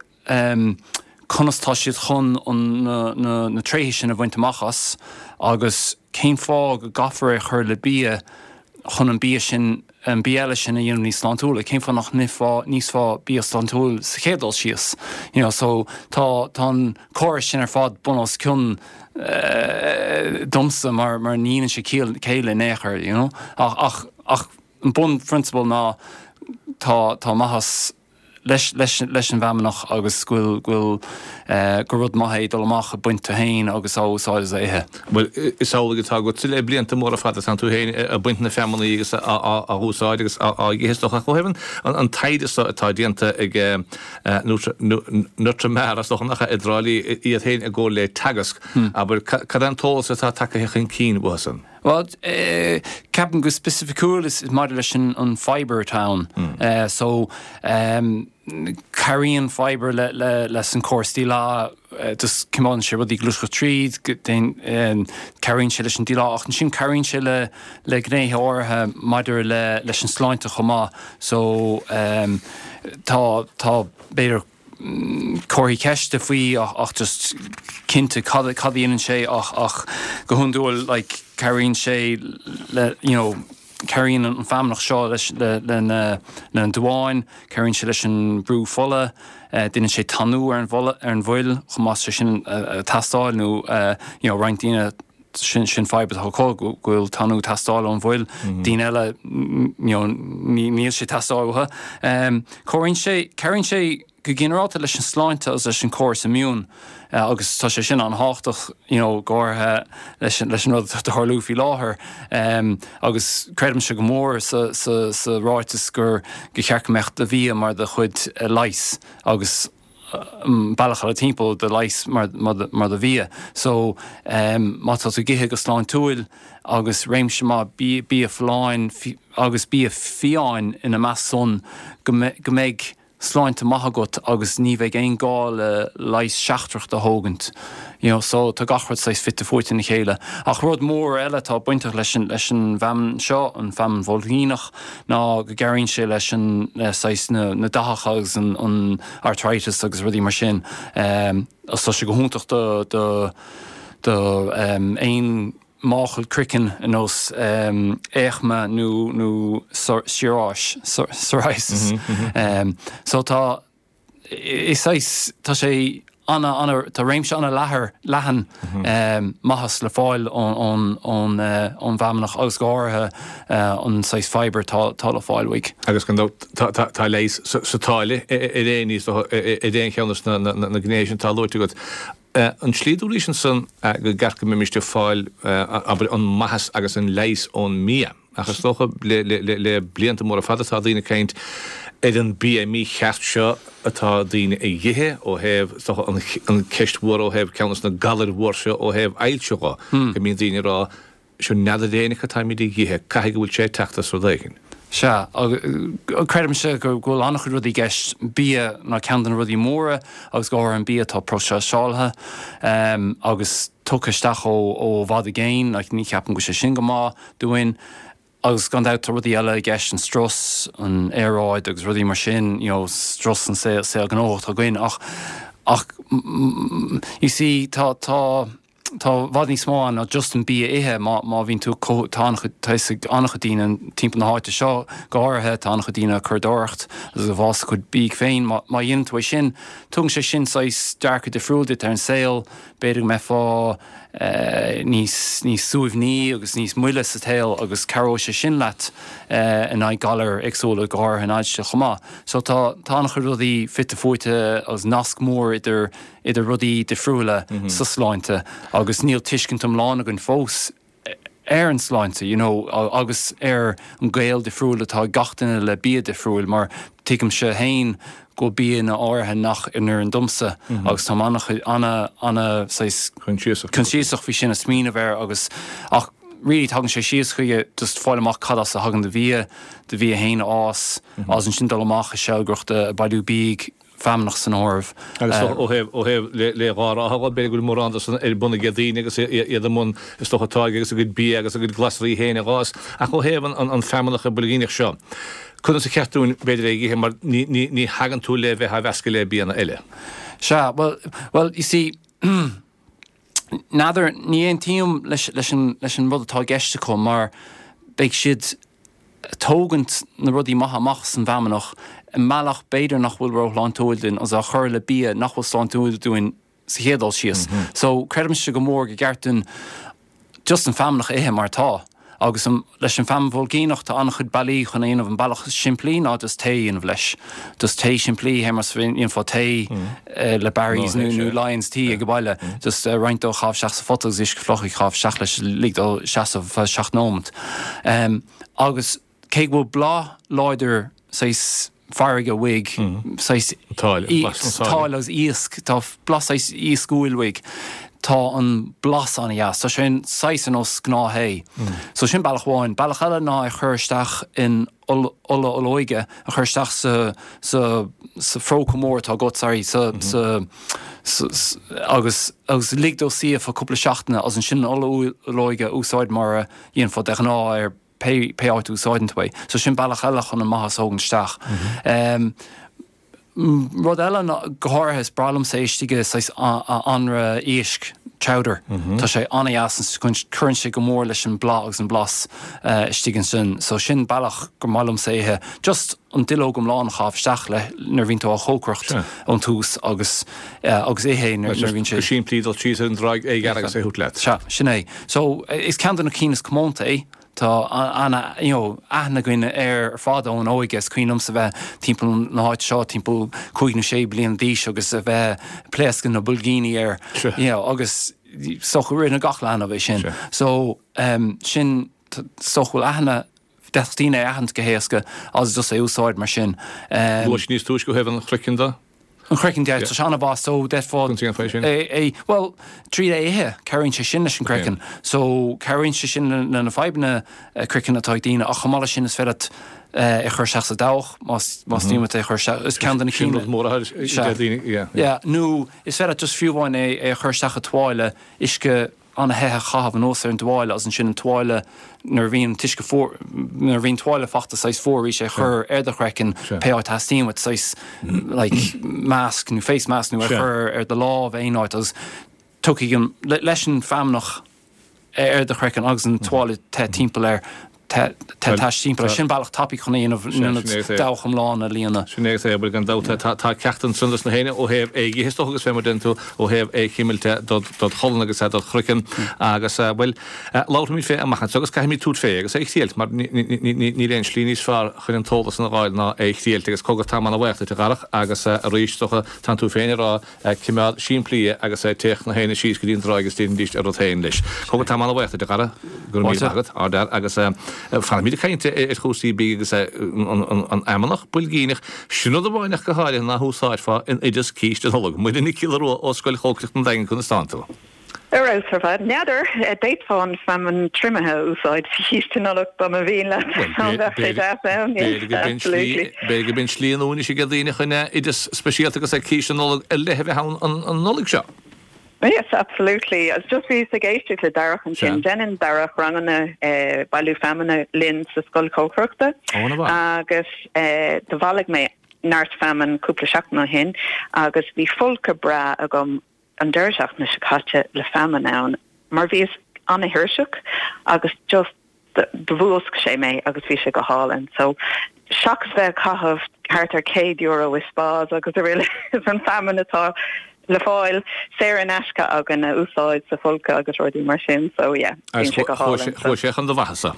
conas tá siad chun an, na, na, na tréithe sin a bhaint amach as agus cén fáth go gcaithfear é a chur le bia chun an bia sin, an bia eile sin a dhéanamh níos sláintiúla, cén fáth nach n-ithfeá, n-íosfá bia sláintiúil sa chéad dul síos, you know, so tá, tá an córas sin ar fad bun os cionn domsa mar, mar ní dhéanann sé ciall, céille in aon chor, you know, ach, ach, ach an bunphrionsabal ná tá, tá maitheas leis, leis, leis an bhfeamnach agus go bhfuil, go bhfuil, gur rud maith é dul amach ag baint tú féin agus á úsáid is á ithe. Bhuel, is amhlaidh atá agatsa le blianta móra fada, tánn tú féin ag baint na feamnaí agus á úsáid agus á ithe is dócha. Ach ó thaobh an taighde seo atá déanta ag Nutramar, is dócha nach ea, i dTrá Lí, iad féin i gcomhar le Teagasc, abair, cad é an t-eolas atá tagtha chun cinn uathu san? Bhuel, ceapaim go spicificiúil is maidir leis an fibre atá ann. So, cabhraíonn fibre leis an córas díleá, just coimeádann sé rudaí ag gluaiseacht tríd, cabhraíonn sé leis an díleá ach ansin cabhraíonn sé le le gnéithe áirithe maidir le leis an sláinte chomh maith. So, tá, tá, b'fhéidir, comharthaí ceiste faoi ach just cinnte cad a dhéanann sé ach ach go hiondúil like cabhraíonn sé le you know cabhraíonn an feamnach seo leis le le na le na duáin, cabhraíonn sé leis an brú fola, déanann sé tanú ar an bhfola ar an bhfuil chomh maith sé sin ag teastáil nó you know roinnt daoine sin sin fadhb atá acu go bhfuil tanú ag teastáil ón bhfuil, daoine eile you know níl sé ag teastáil uathu. Cabhraíonn sé, cabhraíonn sé go ginearálta leis an sláinte agus leis an córas immune agus tá sé sin an-thábhachtach you know go háirithe leis leis an rud atá ag tarlú faoi láthair agus creidimse go mór sa sa sa ráiteas gur gur cheart go mbeadh do bhia mar do chuid leighis agus bealach eile timpeall do leigheas mar do bhia. So má tá tú ag ithe go sláintiúil agus réimse maith bia folláin agus bia fiáin ina measc san go mbeidh sláinte maith agat agus ní bheidh aon gá le leigheas seachtrach do thógaint. You know, so tá gach rud saghas fite fuaite ina chéile. Ach rud mór eile atá bainteach leis an, leis an bhfeamainn seo, an feamainn bhoilgíneach, ná go gcabhraíonn sé leis an, le saghas na, na dathacha agus an, an arthritis agus rudaí mar sin. Agus tá sé go hiontach do, do, do aon máchail craicinn ar nós éachma nó, nó psoriasis, psoriasis. So tá. Is saghas, tá sé ana, ana, tá réimse ana leathair, leathan maitheas le fáil ón, ón, ón bhfeamnach agus go háirithe an saghas fibre atá, atá le fáil uaidh. Agus gan dabht tá, tá, tá leigheas sa táille ar aon ní, ar aon cheann de na, na gnéithe sin atá luaite agat. An tslí dúraís ansan go gceart go mbeimis ag fáil, abair, an maitheas agus an leigheas ón mbia. Ach is dócha le blianta móra fada tá daoine ag caint ar an bia mícheart seo atá daoine a dh'ithe ó thaobh, is dócha, an ceist mhór ó thaobh ceann de na galair mhór seo ó thaobh ailse dho, go mbíonn daoine ag rá, seo n'fheadar éinne cad táimid a dh'ithe, caithfidh go bhfuil sé ag teacht as rud éigin. Sea, creidimse go bhfuil an-chuid rudaí i gceist, bia ná ceann de na rudaí móra agus go háirithe an bia atá próiseáilte agus tugtha isteach ó i bhfad i gcéin, like ní cheapaim go bhfuil sé sin go maith dúinn. Agus gan dabht tá rudaí eile i gceist, an strus, an aeráid agus rudaí mar sin, you know, strus an saol, saol gnóthach atá againn ach, ach you see tá, tá. Tá i bhfad níos mó ann ná just an bia a ithe má má bhíonn tú ag tá an-chuid tá fhios ag an-chuid daoine timpeall na háite seo go háirithe tá an-chuid daoine ag curadóireacht agus ag fás a gcuid bídh féin má má dhéanann tú é sin tugann sé sin saghas dearcadh difriúil duit ar an saol b'fhéidir go mbeifeá níos níos suaimhní agus níos moille sa tsaol agus cabhróidh sé sin leat in aghaidh galair éagsúla go háirithe an ailse chomh maith so tá tá an-chuid rudaí fite fuaite agus nasc mór idir idir rudaí difriúla sa sláinte agus níl tuiscint iomlán againn fós ar an sláinte you know agus ar an gaol difriúil atá ag gach duine le bia difriúil mar tuigimse féin go bhfuil bianna áirithe nach n-oireann domsa agus táim ana ana saghas coinsiasach faoi sin a smaoineamh air agus ach really tagann sé síos chuige just fáil amach cad as a thagann do bhia, do bhia féin a fhás agus ansin dul amach ag seilgreacht ag bailiú bídh feamnach san áireamh. Agus ó thaobh, ó thaobh le, le dhá rátha dhe, b'fhéidir go bhfuil mórán de san ar bun ag daoine agus iad i mbun, is dócha, táirgeadh agus a gcuid bia agus a gcuid glasraí féin a dh'fhás. Ach ó thaobh an, an, an feamnach boilgíneach seo, conas ar cheart dúinn, b'fhéidir, é a ithe mar ní, ní, ní thagann tú le bheith á mheascadh le bianna eile. Sea, bhuel, bhuel, you see, n'fheadar, ní aontaím leis, leis an, leis an rud atá i gceist acu mar beidh siad, tógaint na rudaí maithe amach as an bhfeamnach i mbealach b'fhéidir nach bhfuil róshláintiúil dúinn agus á chur le bia nach bhfuil sláintiúil dúinn sa chéad dul síos. So creidimse go mór gur ceart dúinn just an feamnach a ithe mar atá. Agus an, leis an feamainn bhoilgíneach tá an-chuid bealaí chun é a dhéanamh. An bealach is simplí ná just tae a dhéanamh leis. Just tae simplí, fé mar a dhéanfá tae le Barry's nó, nó Lyons tea ag baile. Just roinnt dó a chaitheamh isteach sa phota agus uisce fliuch a chaitheamh isteach leis, lig dó seasamh feadh 7 nóimeant. Agus cé go bhfuil blas láidir saghas farraige uaidh, saghas táille agus iasc, tá blas saghas iascúil uaidh, tá an blas an-dheas. Tá sé saghas ar nós gnáth-thae. So sin bealach amháin. Bealach eile ná é a chur isteach in ola olóige, a chur isteach sa, sa, sa phróca mór atá agat, sorry, sa, sa, sa, agus, agus lig dó suí ar feadh cúpla seachtaine agus ansin an ola olóige a úsáid mar a dhéanfá de ghnáth ar pé, pé áit a úsáideann tú é. So sin bealach eile chun an maitheas a thógaint isteach. Rud eile ná, go háirithe, is breá liomsa é istigh i saghas anraith éisc, chowder. Tá sé an-dheas, cuireann sé go mór leis an blas agus an blas istigh ansin. So sin bealach gur maith liomsa é ithe. Just an duilleog iomlán a chaitheamh isteach le nuair a bhíonn tú á chócaireacht ón tús agus agus ithe é nuair a bhíonn sé. Go simplí dul síos ar an dtráigh é a ghearradh agus é a thabhairt leat. Sea, sin é. So is ceann de na cinn is comónta é. Tá ana, you know, aithne againn air ar fad ón óige. Is cuimhin liomsa bheith timpeall na háite seo timpeall cúig nó sé bliana d'aois agus a bheith ag pléascadh na boilgíní air, you know, agus is dócha rinne gach leanbh é sin. So, sin, is dócha go bhfuil aithne, d'fhéadfadh daoine é a aithint go héasca agus just é a úsáid mar sin. Luaigh níos túisce ó thaobh an chraicinn de. An craiceann de, tá sé an-mhaith so d'fhéadfá Conas a dhéanfá é sin? é, é, bhuel, tríd é a ithe, cabhraíonn sé sin leis an gcraiceann. So, cabhraíonn sé sin le na fadhbanna craicinn atá ag daoine ach chomh maith leis sin is féidir leat é a chur isteach sa dabhach más, más mian leat é a chur isteach, is ceann de na cinn. Sin rud mór a deir daoine, yeah. Yeah, nó is féidir leat just fiú amháin é, é a chur isteach i tuáille, uisce an-the a chaitheamh anuas ar an dtuáille agus ansin an tuáille nuair a bhíonn an t-uisce fuar, nuair a bhíonn tuáille fachta saghas fuar arís é a chur ar do chraiceann pé áit a theastaíonn uait saghas like mask nó face mask nó é a chur ar do lámh aon áit agus tiocfaidh an, leis an feamnach ar do chraiceann agus an tuáille te timpeall air te tais timpeall air. Sin bealach tapaidh chun é a dhéanamh in ionad dabhach iomlán a líonadh. Sin é agus é, bhuel gan dabht tá ceacht ansan dos na héinne ó thaobh é a dh'ithe is dócha agus fé mar deireann tú ó thaobh é chimilt dod cholainn agus dod chraiceann agus bhuel labharfaimid fé amach anseo agus caithfimid tabhairt fé agus é a thriailt mar níl aon slí níos fearr chun an t-eolas san a dh'fháil ná é a thriailt agus cogar táim ana bhaoch duit a Dharach agus arís is dócha tánn tú féin ag rá Coimeád simplí é agus téadh na héinne síos go dtí an dtráigh agus déanaidís a rud féin leis. Cogar táim ana-bhaoch duit a Dhara, go raibh míle maith agat, ardfhear, agus fanfaimid ag caint ar chúrsaí bídh agus an fheamnach boilgíneach, sin rud amháin ach go háirithe ná húsáidfeá in oideas císte Nollag. Muireann Nic Giolla Rua ó Scoil Chócaireachta an Daingin, conas tánn tú? Ar fheabhas ar fad. N'fheadar, d'fhéadfá an feamainn triomaithe a úsáid sa chíste Nollag dá mba mhian leat. An bheadh sé deas ann? Yes, absolutely. B'fhéidir go mbíonn slí nua anois ag daoine chun oideas speisialta agus císte Nollag ar leith a bheith ann an Nollaig seo. Yes, absolutely. Agus just bhíos ag éisteacht le Darach ansin. Déanann Darach ranganna bailiú feamainne linn sa scoil chócaireachta. Agus do bhailigh mé neart feamainn cúpla seachtain ó shin agus bhí folcadh breá agam. an deireadh seachtaine seo caite le feamainn ann mar bhíos ana-thuirseach agus just do mhúscail sé mé agus bhí sé go hálainn. So seachas bheith ag caitheamh thart ar €100 i spas agus araile is an feamainn atá le fáil saor in aisce againn a úsáid sa folcadh agus rudaí mar sin so yeah bíonn sé go hálainn. Chuaigh sé chun do mhaitheasa.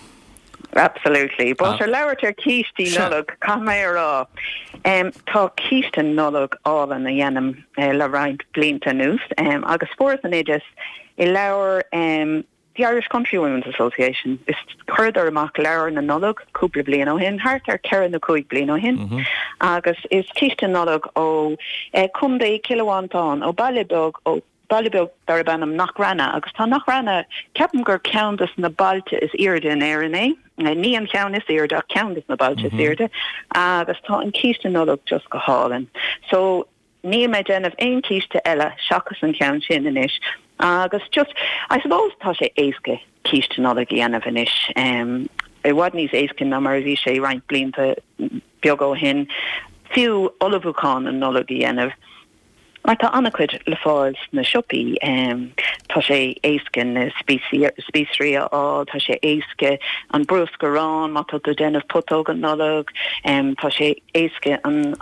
Absolutely. But ar labhairt ar cístí Nollag, caithfidh mé a rá, tá císte Nollag álainn a dhéanaim le roinnt blianta anuas agus fuaireas an oideas i leabhar The Irish Countrywomen's Association. Is chuireadar amach leabhar na Nollag cúpla bliain ó shin, thart ar cheithre nó cúig bliain ó shin, agus is císte Nollag ó Chontae Chill Mhantáin, ó baile beag ó baile beag darb ainm Knockranna agus tá Knockranna, ceapaim gur ceann des na bailte is aoirde in Éirinn é, ní an ceann is aoirde ach ceann des na bailte is aoirde agus tá an císte Nollag just go hálainn. So níl mé ag déanamh aon císte eile seachas an ceann sin anois agus just, I suppose tá sé éasca císte Nollag a dhéanamh anois, i bhfad níos éasca ná mar a bhí sé roinnt blianta beaga ó shin, fiú ullmhúchán na Nollag a dhéanamh. Mar tá an-chuid le fáil sna siopaí. Tá sé éasca na spíosraí a fháil, tá sé éasca an bruscar aráin má tá tú ag déanamh putóga Nollag, tá sé éasca an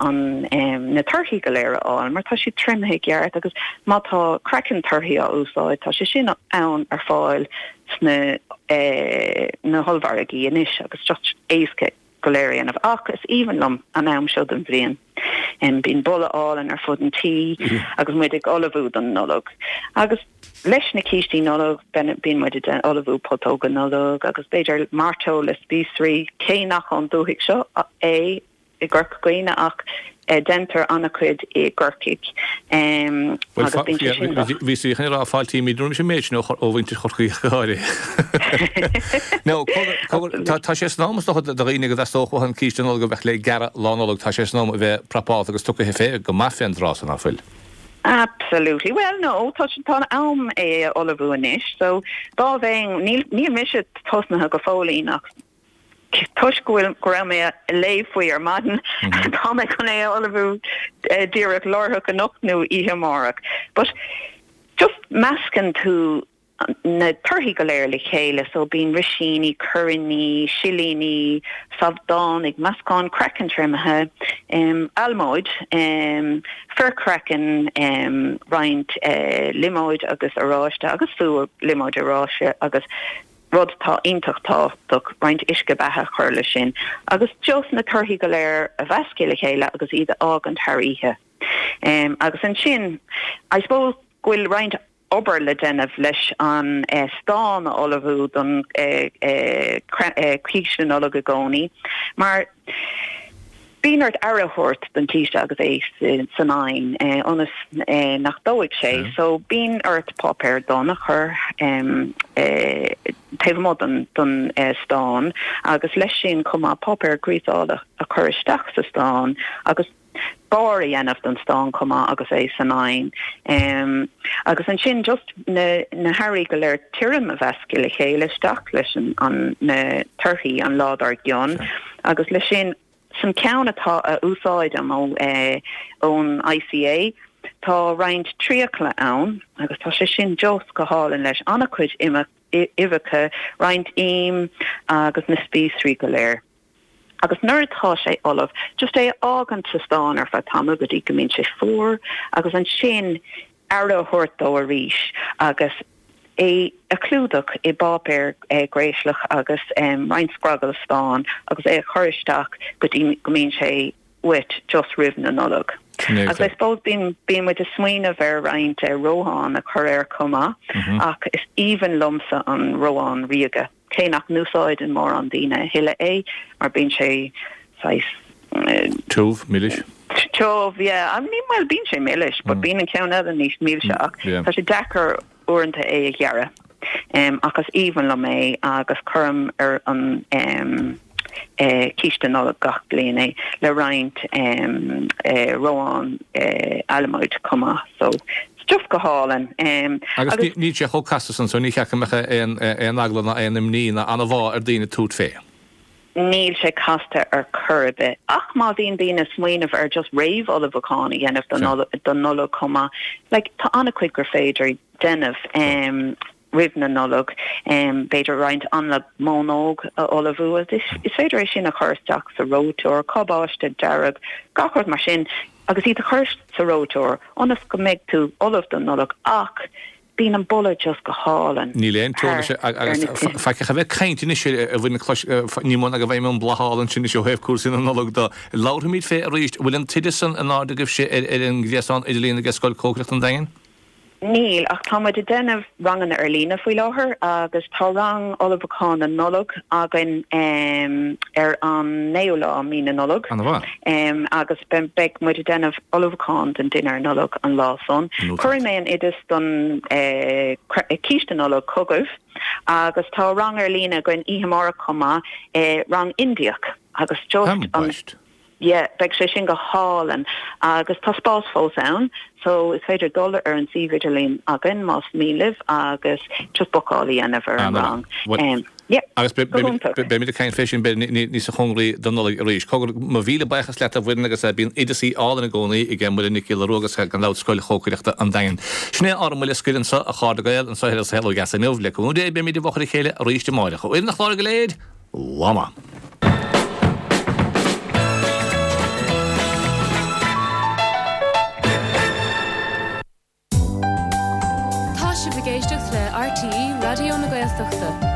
na torthaí go léir a fháil mar tá siad triomaithe i gceart agus má tá craiceann torthaí á úsáid tá sé sin ann ar fáil sna na hollmhargaí anois agus just éasca. go léir a dhéanamh. Ach is aoibhinn liom an am seo den bhliain. Bíonn boladh álainn ar fud an tí agus muid ag ullmhú don Nollaig. Agus leis na cístí Nollag, bíonn muid ag ullmhú putóga Nollag agus b'fhéidir mairteoil le spíosraí, cé nach ón dúthaigh seo é i gCorca Dhuibhne ach Deintear an-chuid i gCorcaigh agus bíonn sé sin go. Bhí sí chun a rá fáiltímid roimis an méid sin ó mhuintir Chorcaí ach go háirithe. Nó tá sé san am is dócha do dhaoine go dteastódh uathu an císte Nollag a bheadh le gearradh Lá Nollag, tá sé san am a bheith prapálta agus tugtha fé go maith fén dtráth san, ná fuil? Absolutely. Well no, tá tá an am é a ullmhú anois so dá bheinn, níl níl mise tosnaithe go fóillín ach Toisc go bhfuil, go raibh mé ag léamh faoi ar maidin, tá mé chun é a ullmhú díreach láithreach anocht nó oíche amárach. But just meascann tú na torthaí go léir le chéile, so bíonn risíní, coiríní, silíní, sabhdánaigh, meascán craiceann triomaithe, almóid, forchraiceann, roinnt liomóid agus oráiste agus fiú liomóid oráiste agus rud atá iontach tábhachtach, roinnt uisce beatha a chur leis sin agus just na torthaí go léir a mheascadh le chéile agus iad a fhágaint thar oíche. Agus ansin, I suppose go bhfuil roinnt obair le déanamh leis an stán a ullmhú don císte Nollag i gcónaí mar Bíonn ort aire a thabhairt don chíste agus é san oigheann ionas nach dófaidh sé. So bíonn ort páipéar donn a chur taobh amuigh don stán agus leis sin chomh maith páipéar gríosála a chur isteach sa stán agus barr a dhéanamh don stán chomh maith agus é san oigheann. Agus ansin just na na hearraí go léir tirim a mheascadh le chéile isteach leis an na torthaí an lá dár gcionn agus leis sin san ceann atá a úsáidim ó ón ICA tá roinnt priacail ann agus tá sé sin just go hálainn leis an-chuid uibheacha, roinnt im agus na spíosraí go léir. Agus nuair atá sé ullamh, just é a fhágaint sa stán ar feadh tamaill go dtí go mbíonn sé fuar agus ansin aire a thabhairt dó arís agus é a chlúdach i bpáipéar gréaslach agus roinnt scragall stáin agus é a chur isteach go dtí go mbíonn sé uait just roimh na Nollag. Agus I suppose bíonn bíonn muid ag smaoineamh ar roinnt reochán a chur air chomh maith ach is aoibhinn liomsa an reochán ríoga. Cé nach n-úsáideann mórán daoine a thuilleadh é mar bíonn sé saghas. Tiubh, milis? Tiubh, yeah. I mean, bhuel, bíonn sé milis, but bíonn an ceann eile níos milse ach tá sé deacair uaireanta é a ghearradh. Ach is aoibhinn liom é agus cuirim ar an císte Nollag gach bliain é le roinnt reochán almóid chomh maith. So, it's just go hálainn. Agus níl sé chomh casta san so ní cheart go mbeadh aon eagla ná aon imní ná anbhá ar daoine tabhairt fé. Níl sé casta ar chor ar bith. Ach má bhíonn daoine ag smaoineamh ar just réamh-ullmhúchán a dhéanamh don Nollaig chomh maith, like tá an-chuid gur féidir déanamh roimh na Nollag. B'fhéidir roinnt anlann mónóg a ullmhú agus is féidir é sin a chur isteach sa reoiteoir, cabáiste dearg, gach rud mar sin agus iad a chur sa reoiteoir ionas go mbeidh tú ullamh don Nollaig ach Bíonn an boladh just go hálainn. Níl aon teorainn leis agus faic ach a bheith ag caint anois a bhain clois ní mó ná go bhfaighim an boladh ansin anois ó thaobh cúrsaí na Nollag de. Labharfaimid fé arís. Bhfuil an t-oideas san in airde agaibhse ar an ngréasán idirlíon ag Scoil Cócaireachta an Daingin? Níl, ach tá muid ag déanamh ranganna ar líne faoi láthair agus tá rang ullmhúcháin na Nollag againn ar an naoú lá mí na Nollag. Ana-mhaith. Agus beidh muid ag déanamh ullmhúchán don dinnéar Nollag an lá san. Cuirfidh mé an oideas don císte Nollag chugaibh agus tá rang ar líne againn oíche amárach chomh maith, rang Indiach agus just an yeah beidh sé sin go hálainn agus tá spás fós ann so is féidir dul ar an suíomh idirlín againn más mian libh agus just bookáil a dhéanamh ar an rang. Yeah, Agus go hiontach. beimid ag caint fé sin b'fhéidir níos cóngaraí don Nollaig arís. Cogar, mo mhíle buíochas leat a Mhuireann agus bíonn oideasaí álainn i gcónaí ag Muireann Nic Giolla Rua agus gan dabht Scoil Chócaireachta an Daingin. Sin é ár mbuille scoir anseo a chairde Gael anseo ar An Saol Ó Dheas inniu. Le cúnamh Dé beimid i bhfochair a chéile arís amáireach. Ó fhoireann an chláir go léir, lá maith. Tá sibh ag éisteacht le RTÉ Raidió na Gaeltachta.